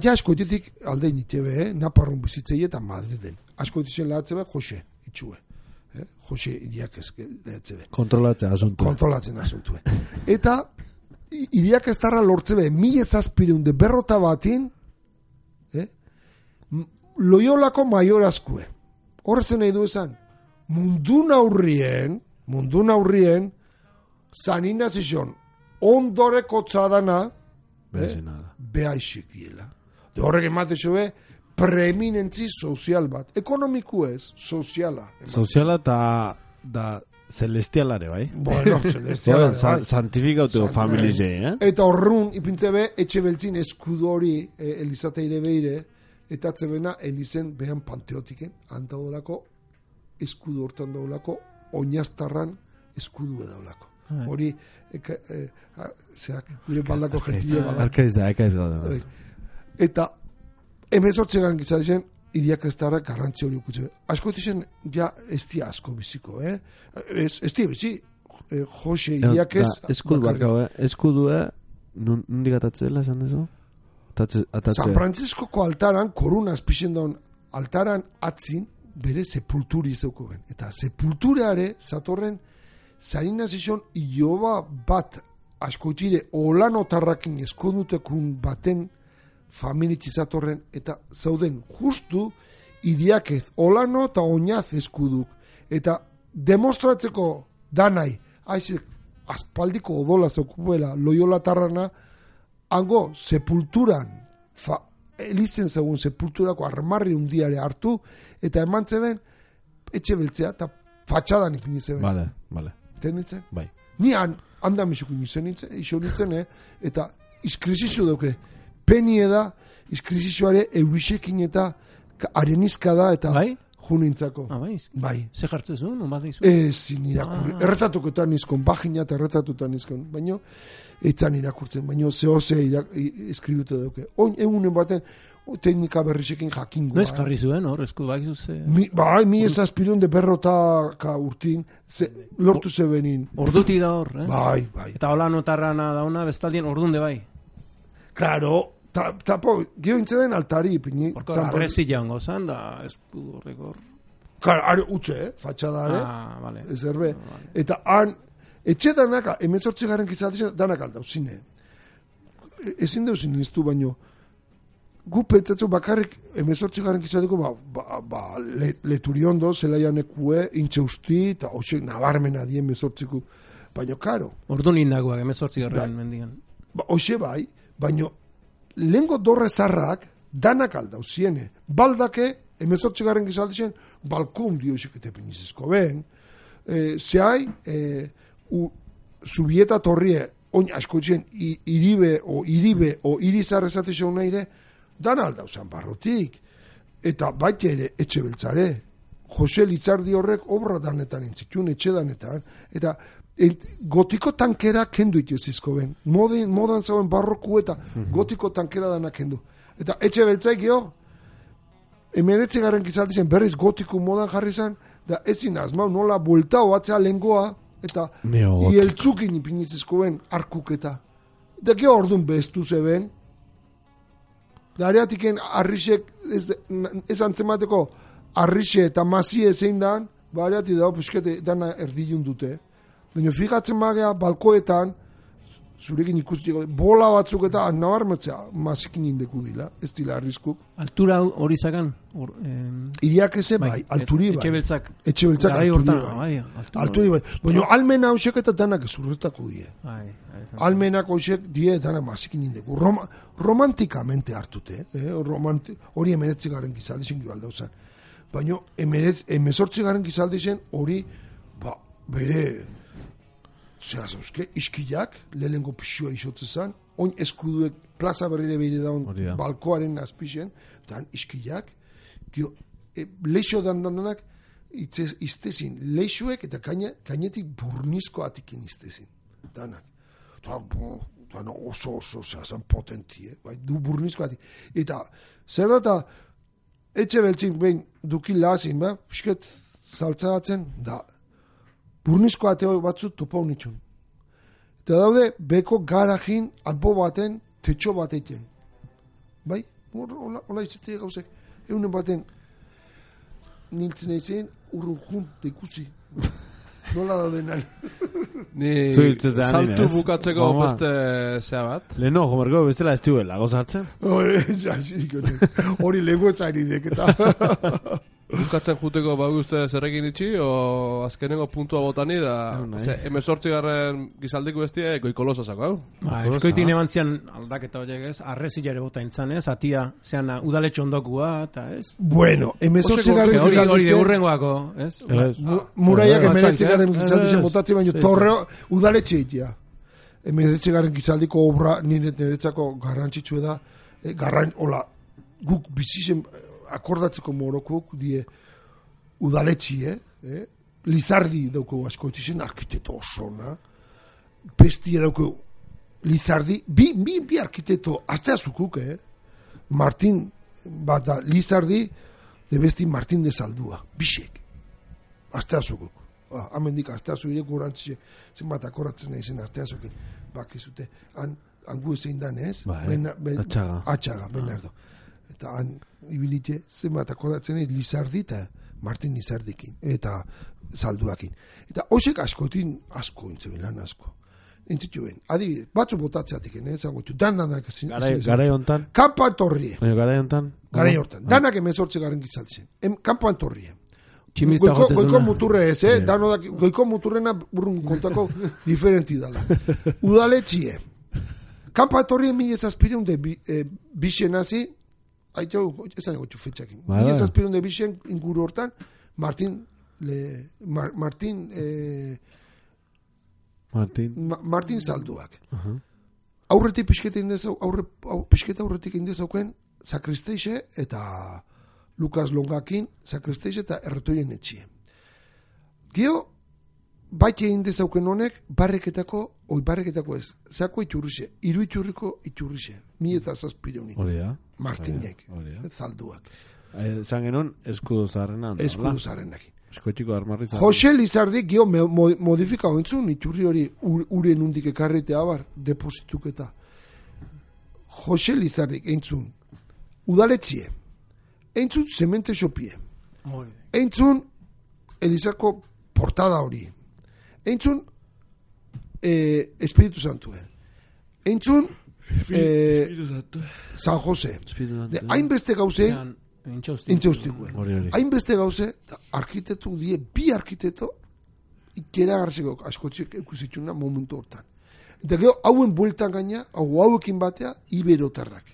ja askoitetik alde nitebe, Naparron bizitzei eta Madriden. Askoitizien lahatzebe Jose itxue. Jose idiak ez lehatzebe. Kontrolatzen asuntue. Eta idiak ez darra lortzebe, 1700 berrota batin, Loiolako maiorazkue. Horrezen nahi du esan, mundu naurrien, San Ignazion, ondoreko txadana, behaixik diela. De horrek emate zoe, preeminentzi sozial bat. Ekonomiku ez, soziala. Soziala da celestialare, bai? Bueno, celestialare, bai. Santifikatu familie, Eta horrun, ipintzebe, etxe beltzin eskudori, Elizateire beire, eta atzebena Elizen behan panteotiken, handadolako, eskudu hortan daulako, oinaztarran eskudu edaulako. Hori, zeak, gure baldako gentile bada. Arkaiz gaude. Eta, 18. gizadizen, idiak ez dara garrantzi hori ukutze. Asko etizen, ja, ez dia asko biziko, Ez dia bizi, Jose Iriakez eskudue nondik atatzela esan dezu? San Franciscoko altaran koruna azpixen daun altaran atzin bere sepulturi zeuko ben. Eta sepulturare zatorren zarina zizon iloba bat askoitire olanotarrakin eskondutekun baten familitzi zatorren eta zauden justu Iriakez olano eta oinaz eskuduk eta demostratzeko danai haizik aspaldiko odola zeukuela Loyola Tarrana hango sepulturan elizen zegoen sepulturako armarri undiare hartu eta eman zeben etxe beltzea eta fatxadan ipini zeben. Vale. Tenditzen? Bai. Ni handa misukin iso nintzen, eta iskrizizu duke. Penie da, iskrizizuare eurisekin eta arenizka da, eta bai? Junintzako. Bai. Ze jartzen zuen, no bat dizu? Ezin irakurri. Erretatuketan nizkon, bagina eta erretatutan nizkon. Baina, etzan irakurtzen. Baina, zehose eskribute duke. Oin, egunen baten, teknika berrizekin jakingoa. No ez jarri zuen, hor, esku bak zuze. Mi esazpirun de berrotaka urtin, lortu zebenin. Orduti da hor, Bai. Eta hola notarrana dauna, bestaldien ordunde bai. Claro, tapo, gio intzeben altari, pini. Horko, arrezi jaungo zan, da esku horrekor. Claro, are utxe, fatxadare. Vale. Ezerbe. Vale. Eta han, etxe danaka, 18 garen kizatizan, danak aldau, zine. Ezin deuzin niztu baino, gu pentsatzu bakarrik 18 garen kizatiko leturiondo, zelaianekue, intxeusti, eta hoxek nabarmena dien 18ku. Baina, karo. Ordu nindagoak, 18 garen mendigan. Hoxe bai, baina, lehenko dorre zarrak, danak aldau, ziene. Baldake, 18 garen kizatizan, balkon dioxek eta pinizizko ben. Zehai, zubieta torrie, oin askotzen, iribe o irizar esatizan nahire, dan aldau zan barrotik. Eta baita ere, etxe beltzare. Jose Litzardi horrek obra danetan entzitun, etxe danetan. Eta gotiko tankera kendu ituzizko ben. Modan zauen barroku eta gotiko tankera dana kendu. Eta etxe beltzaik jo, 19 garen kizaldizen berriz gotiko modan jarri zan, da ezin azmau nola buelta oatzea lengoa, eta ieltzukin ipinizizko ben arkuketa. Eta gero orduan bestu zeben, da areatiken arrisek ez antzemateko arrise eta mazie zein dan, ba areati dago piskete dana erdilun dute. Baina fijatzen magea balkoetan, zurekin ikustiko, bola batzuk eta nabarmetzea mazikin indeku dila, ez dila arriskuk. Altura hori zakan? Iriak eze bai, alturi bai. Etxe beltzak alturi bai. Baina almena hausek eta danak zurretako die. Almenak hausek die danak mazikin indeku. Romantikamente hartute, hori 19 garen gizaldizien gibaldau zen. Baina 18 garen gizaldizien hori bere iskilak, lehenko pixua isotzen zen, oin eskuduek plaza berrire behire daun balkoaren azpixen, dan iskilak, leixo dandanak iztezin, leixoek eta kainetik burnizko atikin iztezin, danak. Dana oso zan potentie, du burnizko atik. Eta, zer da, etxe beltzin behin dukin lahazin, pisket zaltzatzen, da, burnizko ateo batzu topa unitxun. Eta daude, beko garajin albo baten, tetxo bat egiten. Bai? Hola izatea gauzek. Eunen baten, niltzen egin, urrun jun, da ikusi. Nola dauden ari. Ni saltu bukatzeko beste zea bat. Leheno, jomerko, bestela ez duela, gozartzen? Hori lego ez ari deketa. Bukatzen juteko uste zerrekin itxi, o azkenengo puntua botani da, 18 garren gizaldiko bestia, goikolosa zako, hau? Eskoitin eman zian aldaketa horiek ez, arrezilare bota intzan ez, atia zean udaletxo ondokua, eta ez? Bueno, 18 garren gizaldizien... Hori de urrengoako, ez? Muraiak 19 garren gizaldizien botatzi, baino torreo udaletxe itia. 19 garren gizaldiko obra niretzako garrantzitsue da, guk bizizen... akordatzeko morokuk die udaletxi, Lizardi dauko askoitizien arkiteto osona, Pestia dauko Lizardi, bi arkiteto, azte azukuk, Martin, bata Lizardi, de besti Martin de Saldua, bisek, azte azukuk. amendik asteazu ireko urantzixe, zenbat akoratzen nahi zen asteazukin, bakizute, hangu ezein dan ez? Atxaga, Bernardo. Eta han ibilite, zenbat akoratzen nahi, Lizardi eta Martin Lizardikin, eta Zalduakin. Eta hoxek asko intzebilan asko. Entzitu ben, adibidez, batzu botatzeatik, zango ditu, danak ezin. Garai hontan? Kampan torrie. Garai hontan? Garai hontan. Danak emezortze garen gizaltzen. Kampan torrie. Tximista jotez goiko muturre ez, goiko muturrena burrun kontako diferenti dala. Udaletxie. Kampan torrie 1700 de bixen hazi, esan egotxu fetxakin. 1700 de bixen inguru hortan, Martin Zalduak. Aurretik pixketa aurretik indezauken Sakristeixe eta Lukas Longakin Sakristeixe eta Erretoien etxie. Geo, baite indezauken honek barreketako ez, zako iturrixe, iru iturriko iturrixe, 1700 Oria. Martinek, Zalduak. Zan genon, eskudo zaharrenak. Eskudo zaharrenak. Eskotiko armarritza. Jose Lizardik gio modifika hoentzun, iturri hori uren undik ekarretea bar, deposituketa. Jose Lizardik eintzun, udaletzie, eintzun zemente xopie, eintzun Elizako portada hori, eintzun Espiritu Santue, eintzun San Jose, hainbeste gauzein, intzeustikuen. Hainbeste gauze, arkitektu die, bi arkitekto, ikera garzeko askotxek ekusitxuna momentu hortan. Eta gero, hauen bueltan gaina, hauekin batea, iberotarrak.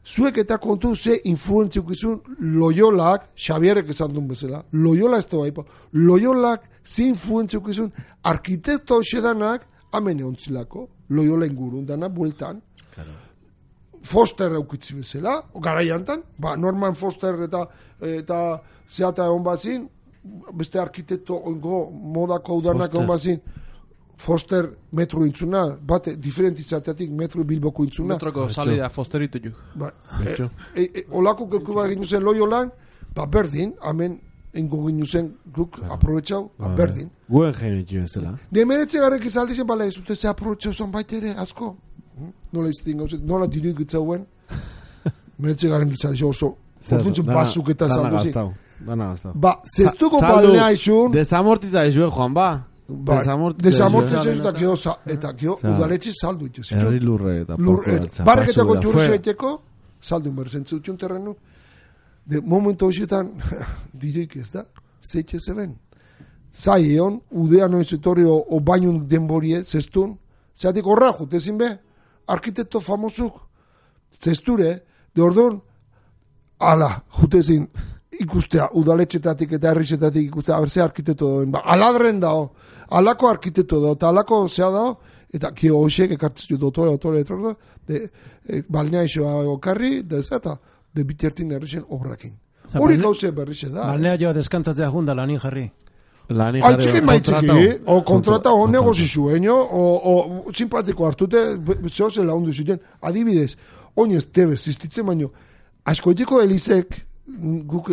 Zuek eta kontu ze influentziukizun Loyolak, Xabierrek esan duen bezala, Loyola ez da baipa, Loyolak ze influentziukizun arkitekto hoxedanak, amene ontzilako, Loyola ingurun dana, bueltan, Foster eukitzi bezala, garaiantan, Norman Foster eta zeata egon bazin, beste arkitekto ongo modako udanak egon bazin, Foster metro intzuna, bate diferentizateatik metro Bilboko intzuna. Metroko salida Fosteritu ju. Olako kelku bat ginu zen Loyolan, berdin, hemen ingo ginu zen guk aprobetxau, berdin. Guen genitu ez dela. Demeretze garek izaldizen, bala ez dute ze aprobetxau zen baita ere, asko. Nola iztin gauzet, nola diruik itzauen, meretze garen gitzari oso, orduntzen basuk eta saldu zin. Dana gaztau. Zestuko balnea izun... Desamortiza izue, Juan, Desamortiza izun, eta gio udaletxe saldu ituz. Herri lurre eta porkoratza. Barreketako jurri zaiteko, saldu inberzentzutun terrenu. De momento horietan, diruik ez da, zeitxe zeben. Zai egon, udean oin zetorri o bainun denborie, zestun, zeatik horra jutezin be, arkitekto famosuk, zesture, de orduan, ala, jutezin, ikustea, udaletxetatik eta herrizetatik ikustea, berze arkitekto doen, aladren dao, alako arkitekto dao, eta alako zea dao, eta kio hoxek ekartzitu dotore, balnea isoa okarri, eta de bitertin herrixen obrakin. Hori gauze berrixe da. Balnea joa deskantzatzea junda lanin jarri. Aitziki maitziki, o kontrata o negozizu, o simpatiko hartute, zehoze laundu zuten, adibidez, oinez tebez, ziztitzen baino, askoetiko Elizek,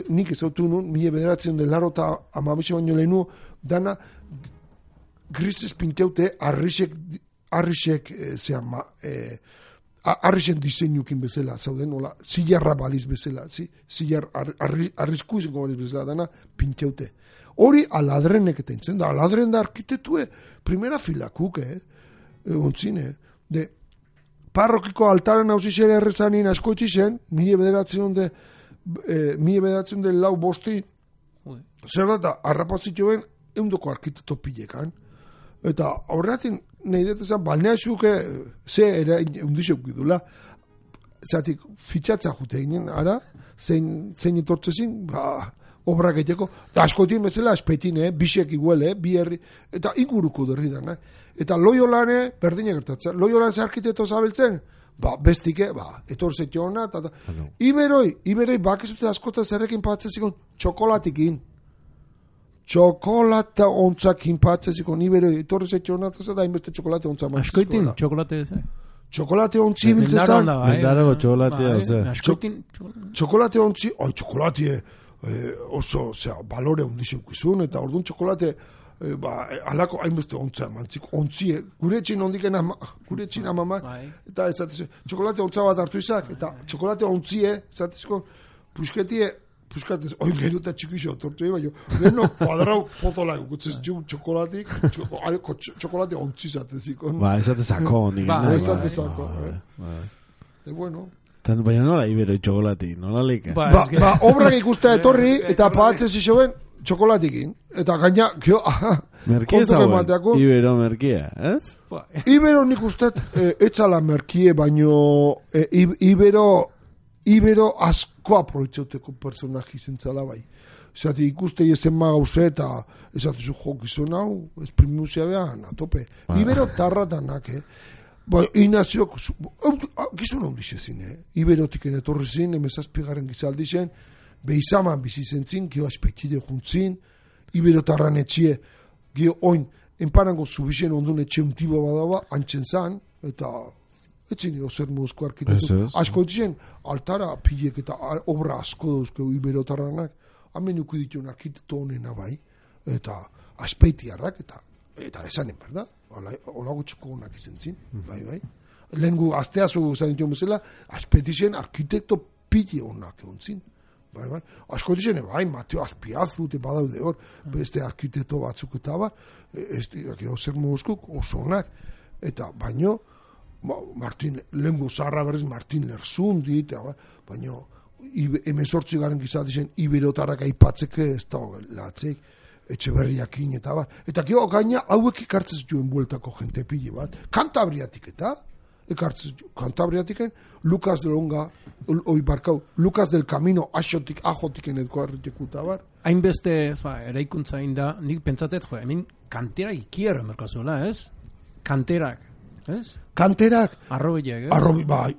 nik ezautu nun, 1980 baino lehenu, dana, grisez pinteute, arrisek arrisen diseinukin bezala, zauden, zilarra baliz bezala, zilar arrisku izango baliz bezala, dana pinteute. Hori aladrenek eta intzen da, aladren da arkitetue, primera filakuk, ontzine, de parrokiko altaren hausizere errezanin askoitzi zen, 1900 lau bosti, zer da, arrapazituen eundoko arkitekto pilekan, eta horretin nahi detezan, balnea xuke, ze era eundizok gidula, zatik fitxatza jute ginen, ara, zein etortzezin, obrak egiteko, eta askotien bezala espetin, bisek iguele, bi herri, eta inguruko derri dana. Eta Loyolane, berdina gertatzen, Loyolan ze arkitekto zabeltzen, bestike, etorzetio hona, eta Iberoi, bakizute askota zerrekin patzezikon, txokolatikin. Txokolata ontzakin patzezikon, Iberoi, etorzetio hona, eta hainbeste txokolate ontza mantzizkola. Askoitin, txokolate ez, Txokolate ontzi biltzezan. Mendarago txokolatea, Txokolate ontzi, txokolatea, oso, balore ondizeukizun, eta orduan txokolate, alako hainbeste ontzea mantzik, ontzie, gure etxin ondiken gure etxin amamak, eta ezatez, txokolate ontza bat hartu izak, eta txokolate ontzie, ezatezko, puskatez, oin gero eta txikixo, tortu baina, leheno kuadrau potolak, gutzez txokolatik, txokolate ontzi zateziko. Esatezako honik. Esatezako. Bueno. Baina nola ibero txokolatik, nola leike? Obrak ikustea etorri, eta pagatzez isoben, txokolatikin. Eta gaina, merkie zauen, ibero merkia, ez? Ibero nik ustet, etxala merkie, baino ibero asko aproitzauteko personaji zentzala bai. Zati ikuste ezen magauze eta ezatezu gizon hau, esprimusia behan, atope. Ibero tarratanak, Inaziok, gizon hau dixezin, Iberotik etorri zin, emezazpigaren gizaldi zen, behizaman bizi zentzin, gio aspektide juntzin, Iberotarran etxie, gio oin, enparango zubixen ondun etxe untibo badaba, antxen zan, eta etxin zer mozko arkitetu. Asko etxien, altara pilek eta obra asko dauzko Iberotarranak, hamen ukidituen arkitetu honena bai, eta aspeitiarrak, eta esanen, berda? Ola gutxuko honak izan zin, bai. Lehen gu, azteazu zaintu bezala, aspetizien arkitekto pili honak egon zin. Bai. Asko dizene, Mateo Azpiazu, badaude hor, beste arkitekto batzuk eta bar, zer mozkuk oso honak. Eta baino, lehen gu zaharra berriz Martin Lerzun dit, baino, 18 gizatizien Iberotarrak aipatzeke ez da latzeik, Etxeberriakin eta bar. Eta gero gaina hauek ikartzen zituen bueltako jente pili bat. Kantabriatik eta, Kantabriatiken, Lucas del Onga, Lucas del Camino, ajotiken edko arritekuta bar. Hainbeste, eraikuntza inda, nik pentsatet, hemen kantera ikiero emerkazuela, ez? Kanterak, ez? Kanterak? Arrobiak, ez?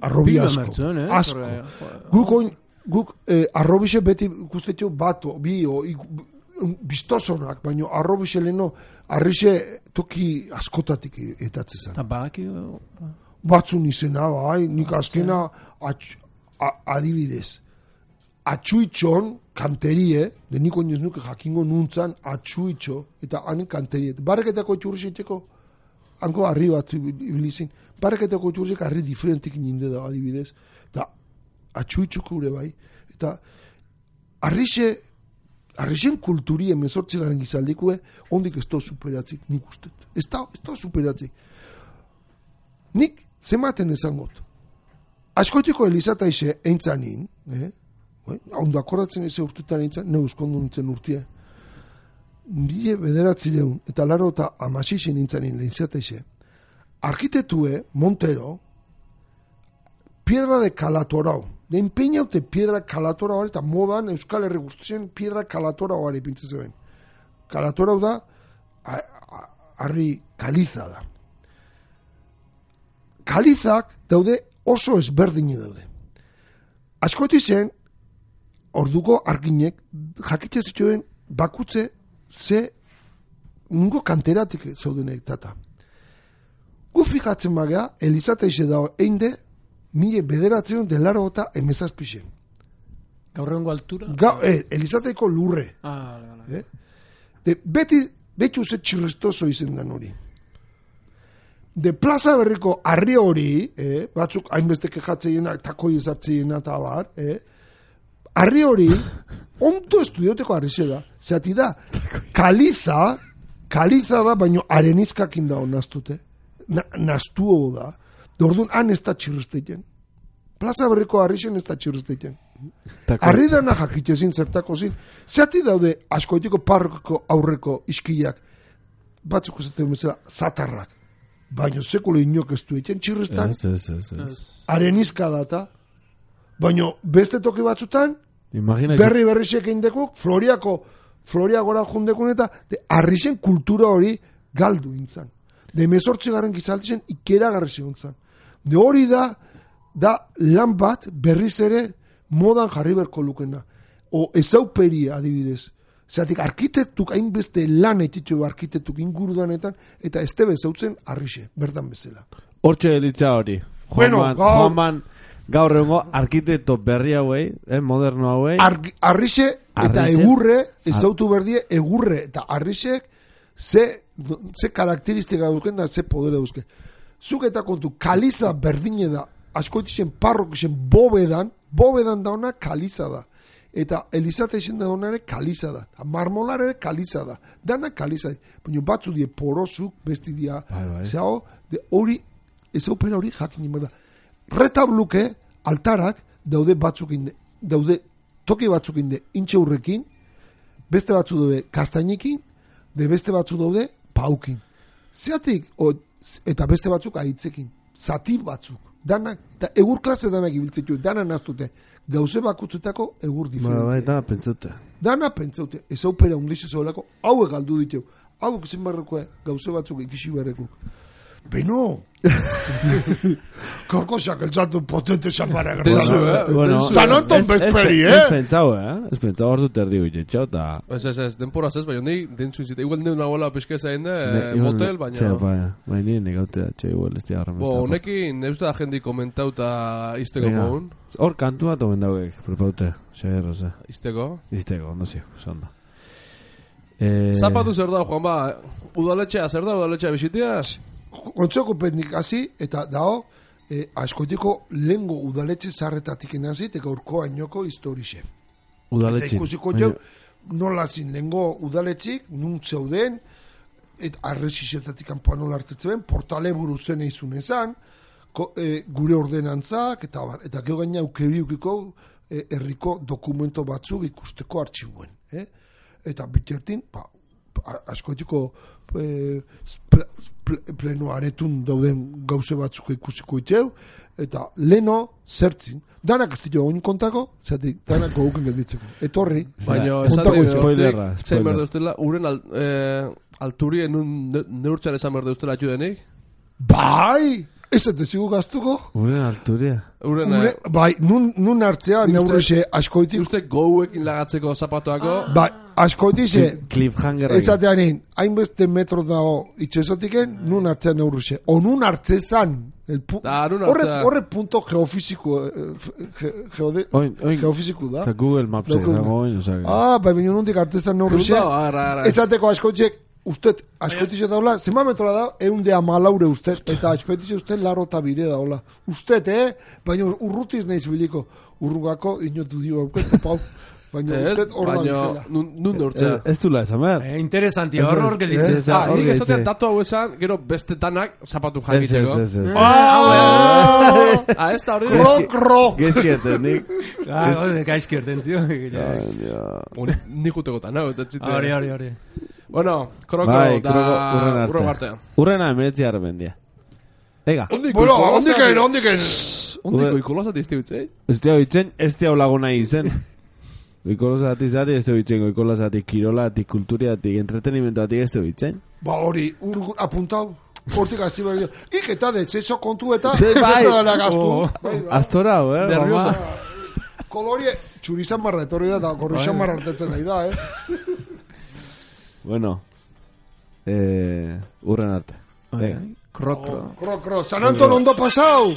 Arrobi asko. Asko. Guk arrobixe beti ikustetu bato, bistozonak, baina arrobixe leheno arrixe toki askotatik etatzezan. Eta badaki? Batzun izena, nik azkena adibidez. Atxuitxon kanterie, de niko inoz nuke jakingo nuntzan atxuitxo, eta hanen kanterie. Barreketako etxurrizeteko, hanko harri bat ibilizin, barreketako etxurrizek harri diferentik ninde da adibidez, eta atxuitxoko ure bai, eta arrixen kulturi emezortzi garen gizaldikue, ondik ez da superatzik, nik ustet. Ez da superatzik. Nik zematen ezangot. Askotiko Elizataixe eintzanin, ondo akordatzen eze urtetan eintzan, ne uzkondu nintzen urtia. Bile bederatzileun, eta laro eta amasixen eintzanin Elizataixe, arkitetue, Montero, piedra de Calatorao, de empeinaute piedra Calatorao, eta modan Euskal Herri guztien piedra Calatorao ari pintze zeben. Calatorao da, harri kaliza da. Kalizak daude oso ezberdini daude. Askoti zen, orduko arginek, jakitze zituen bakutze ze nungo kanteratik zaudenek tata. Gu fikatzen magea, Elizataixe da einde, mile bederatzen delaro eta emezazpixen. Gaur egongo altura? Elizateiko lurre. Beti uze txirristoso izen dan hori. De plaza berriko arri hori, batzuk hainbeste kexatzeiena, takoi ezartzeiena eta bar, arri hori, onto estudioteko arri da. Zati da, kaliza da, baino arenizkakin da honaztute. Nastuo da. Dordun, han ez da txirrizteiten. Plaza berriko arrixen ez da txirrizteiten. Arri dana jakitezin zertako zin. Zati daude, askoitiko parroko aurreko iskiak, batzuk esaten bezala, zatarrak. Baina sekule inok ez du egiten txirriztan. Arenizka data. Baina beste toki batzutan, berri-berrixek eindekuk, Floriagora jundekun eta arrixen kultura hori galdu intzan. De 18 gizaltzen ikera garri ziontzan. De hori da lan bat berriz ere modan jarri berko lukena. O ezauperi adibidez. Zeratik arkitektuk hainbeste lan etitu arkitektuk ingurudanetan eta ez tebe zautzen arrixe, bertan bezala. Hortxe delitza hori. Juanman gaur egongo arkitekto berri hauei, moderno hauei. Arrixe eta Arrixe. egurre, ezautu berdie, egurre eta arrisek ze karakteristika duzken da, ze podere duzken. Zuk eta kontu, kaliza berdine da, askoitixen parrokixen bobedan dauna kaliza da. Eta Elizate izen da donare kaliza da. Marmolar ere kaliza da. Dana kaliza da. Baina batzu die porozuk, besti dia. Zao, hori, ez opera hori jakin inberda. Retabluke, altarak, daude batzuk inde, daude toki batzuk inde intxe hurrekin, beste batzu daude kastainekin, de beste batzu daude paukin. Zeatik, eta beste batzuk ahitzekin. Zati batzuk. Danak, eta egur klase danak ibiltzetu, dana naztute. Gauze bakutzutako egur diferentzia. Dana pentsaute. Ez aupera undize zoelako, hauek galdu ditu. Hauek zen barrekoa, gauze batzuk ikisi berreko. Beno! Korkosak elzatu potente zapara Bueno, San Anton bezperi, Ez pentsau, Ez pentsau hor dut erdi guite, txau, eta... Ez, denporaz ez, baina nahi dentzu izite. Igual nire nagoela peskeza egin motel, baina... Baina nire negautea, txau, igual ez diagarra mesta. Honekin, neuzta da jendi komentauta izteko mogun. Hor kantu bat omen dauek, prepaute, xager, oza. Izteko? Izteko, ondo zio, zondo. Zapatu zer da, Juan, ba, udaletxea, zer da, udaletxea bisitia? Kontzoko pendik hasi, eta dao, askotiko lengo udaletxe zarretatik enazit, eta urko ainoko historixe. Udaletxin. Eta ikusiko jau, nola zin lengo udaletxik, nun zeuden, eta arrezizetatik kanpoan nola hartetzen, portale buru zen eizun ezan, gure ordenantzak, eta gero gaina ukeriukiko herriko dokumento batzuk ikusteko artxibuen. Eta bitertin, askotiko pleno aretun dauden gauze batzuk ikusiko itxeu, eta leno zertzin. Danak ez ditu oin kontako, zatik, danak gauken gelditzeko. Etorri, baina spoilerra. Zain berde ustela, uren alturien neurtxan esan berde ustela atxudenik? Bai! Ez ez zigu gaztuko? Uren alturia. Bai, nun hartzea neurrixe askoitik. Uste gouekin lagatzeko zapatuako? Bai, askoitixe. Cliffhangerra. Ezateanin, hainbeste metro dago itxesotiken, nun hartzea neurrixe. O nun hartzezan. Horre punto geofiziko geofiziko da. Oza, Google Maps dago. Bai, baina nundik hartzezan neurrixe. Ezateko askoitxek, usted, askoitixe daula, zema metroa da, 110 usted, eta askoitixe usted laro eta bire daula. Usted, baina urrutiz nahiz biliko, urrugako inotu dio auket, pau. Baina usted horra ditzela. Nun dortzea. Ez du la esamer. Interesanti, hor gelditzen. Nik esatean datu hau esan, gero beste tanak zapatu jakiteko. Ez. Ez da hori. Kro. Gezkierten, nik. Gaizkierten, zio. Nik juteko tanau. Hori. Bueno, kroko da urren artean. Urrena emeretzi arrebendia. Ega. Ondiken. Ondiko ikolosat izte bitzei? Ez tia bitzen, ez tia laguna izen. Goikolosati zati ez tia bitzen, goikolosati kirolati, kulturiati, entretenimentoati ez tia bitzen. Ba hori, apuntau. Hortik hasi behar. Iketa de, zeso kontu eta Astora, nerviosa. Kolorie, txurizan marra etorri da, eta korrizan marra hartetzen nahi da, Bueno, urren arte. Kro. San Anton ondo pasau!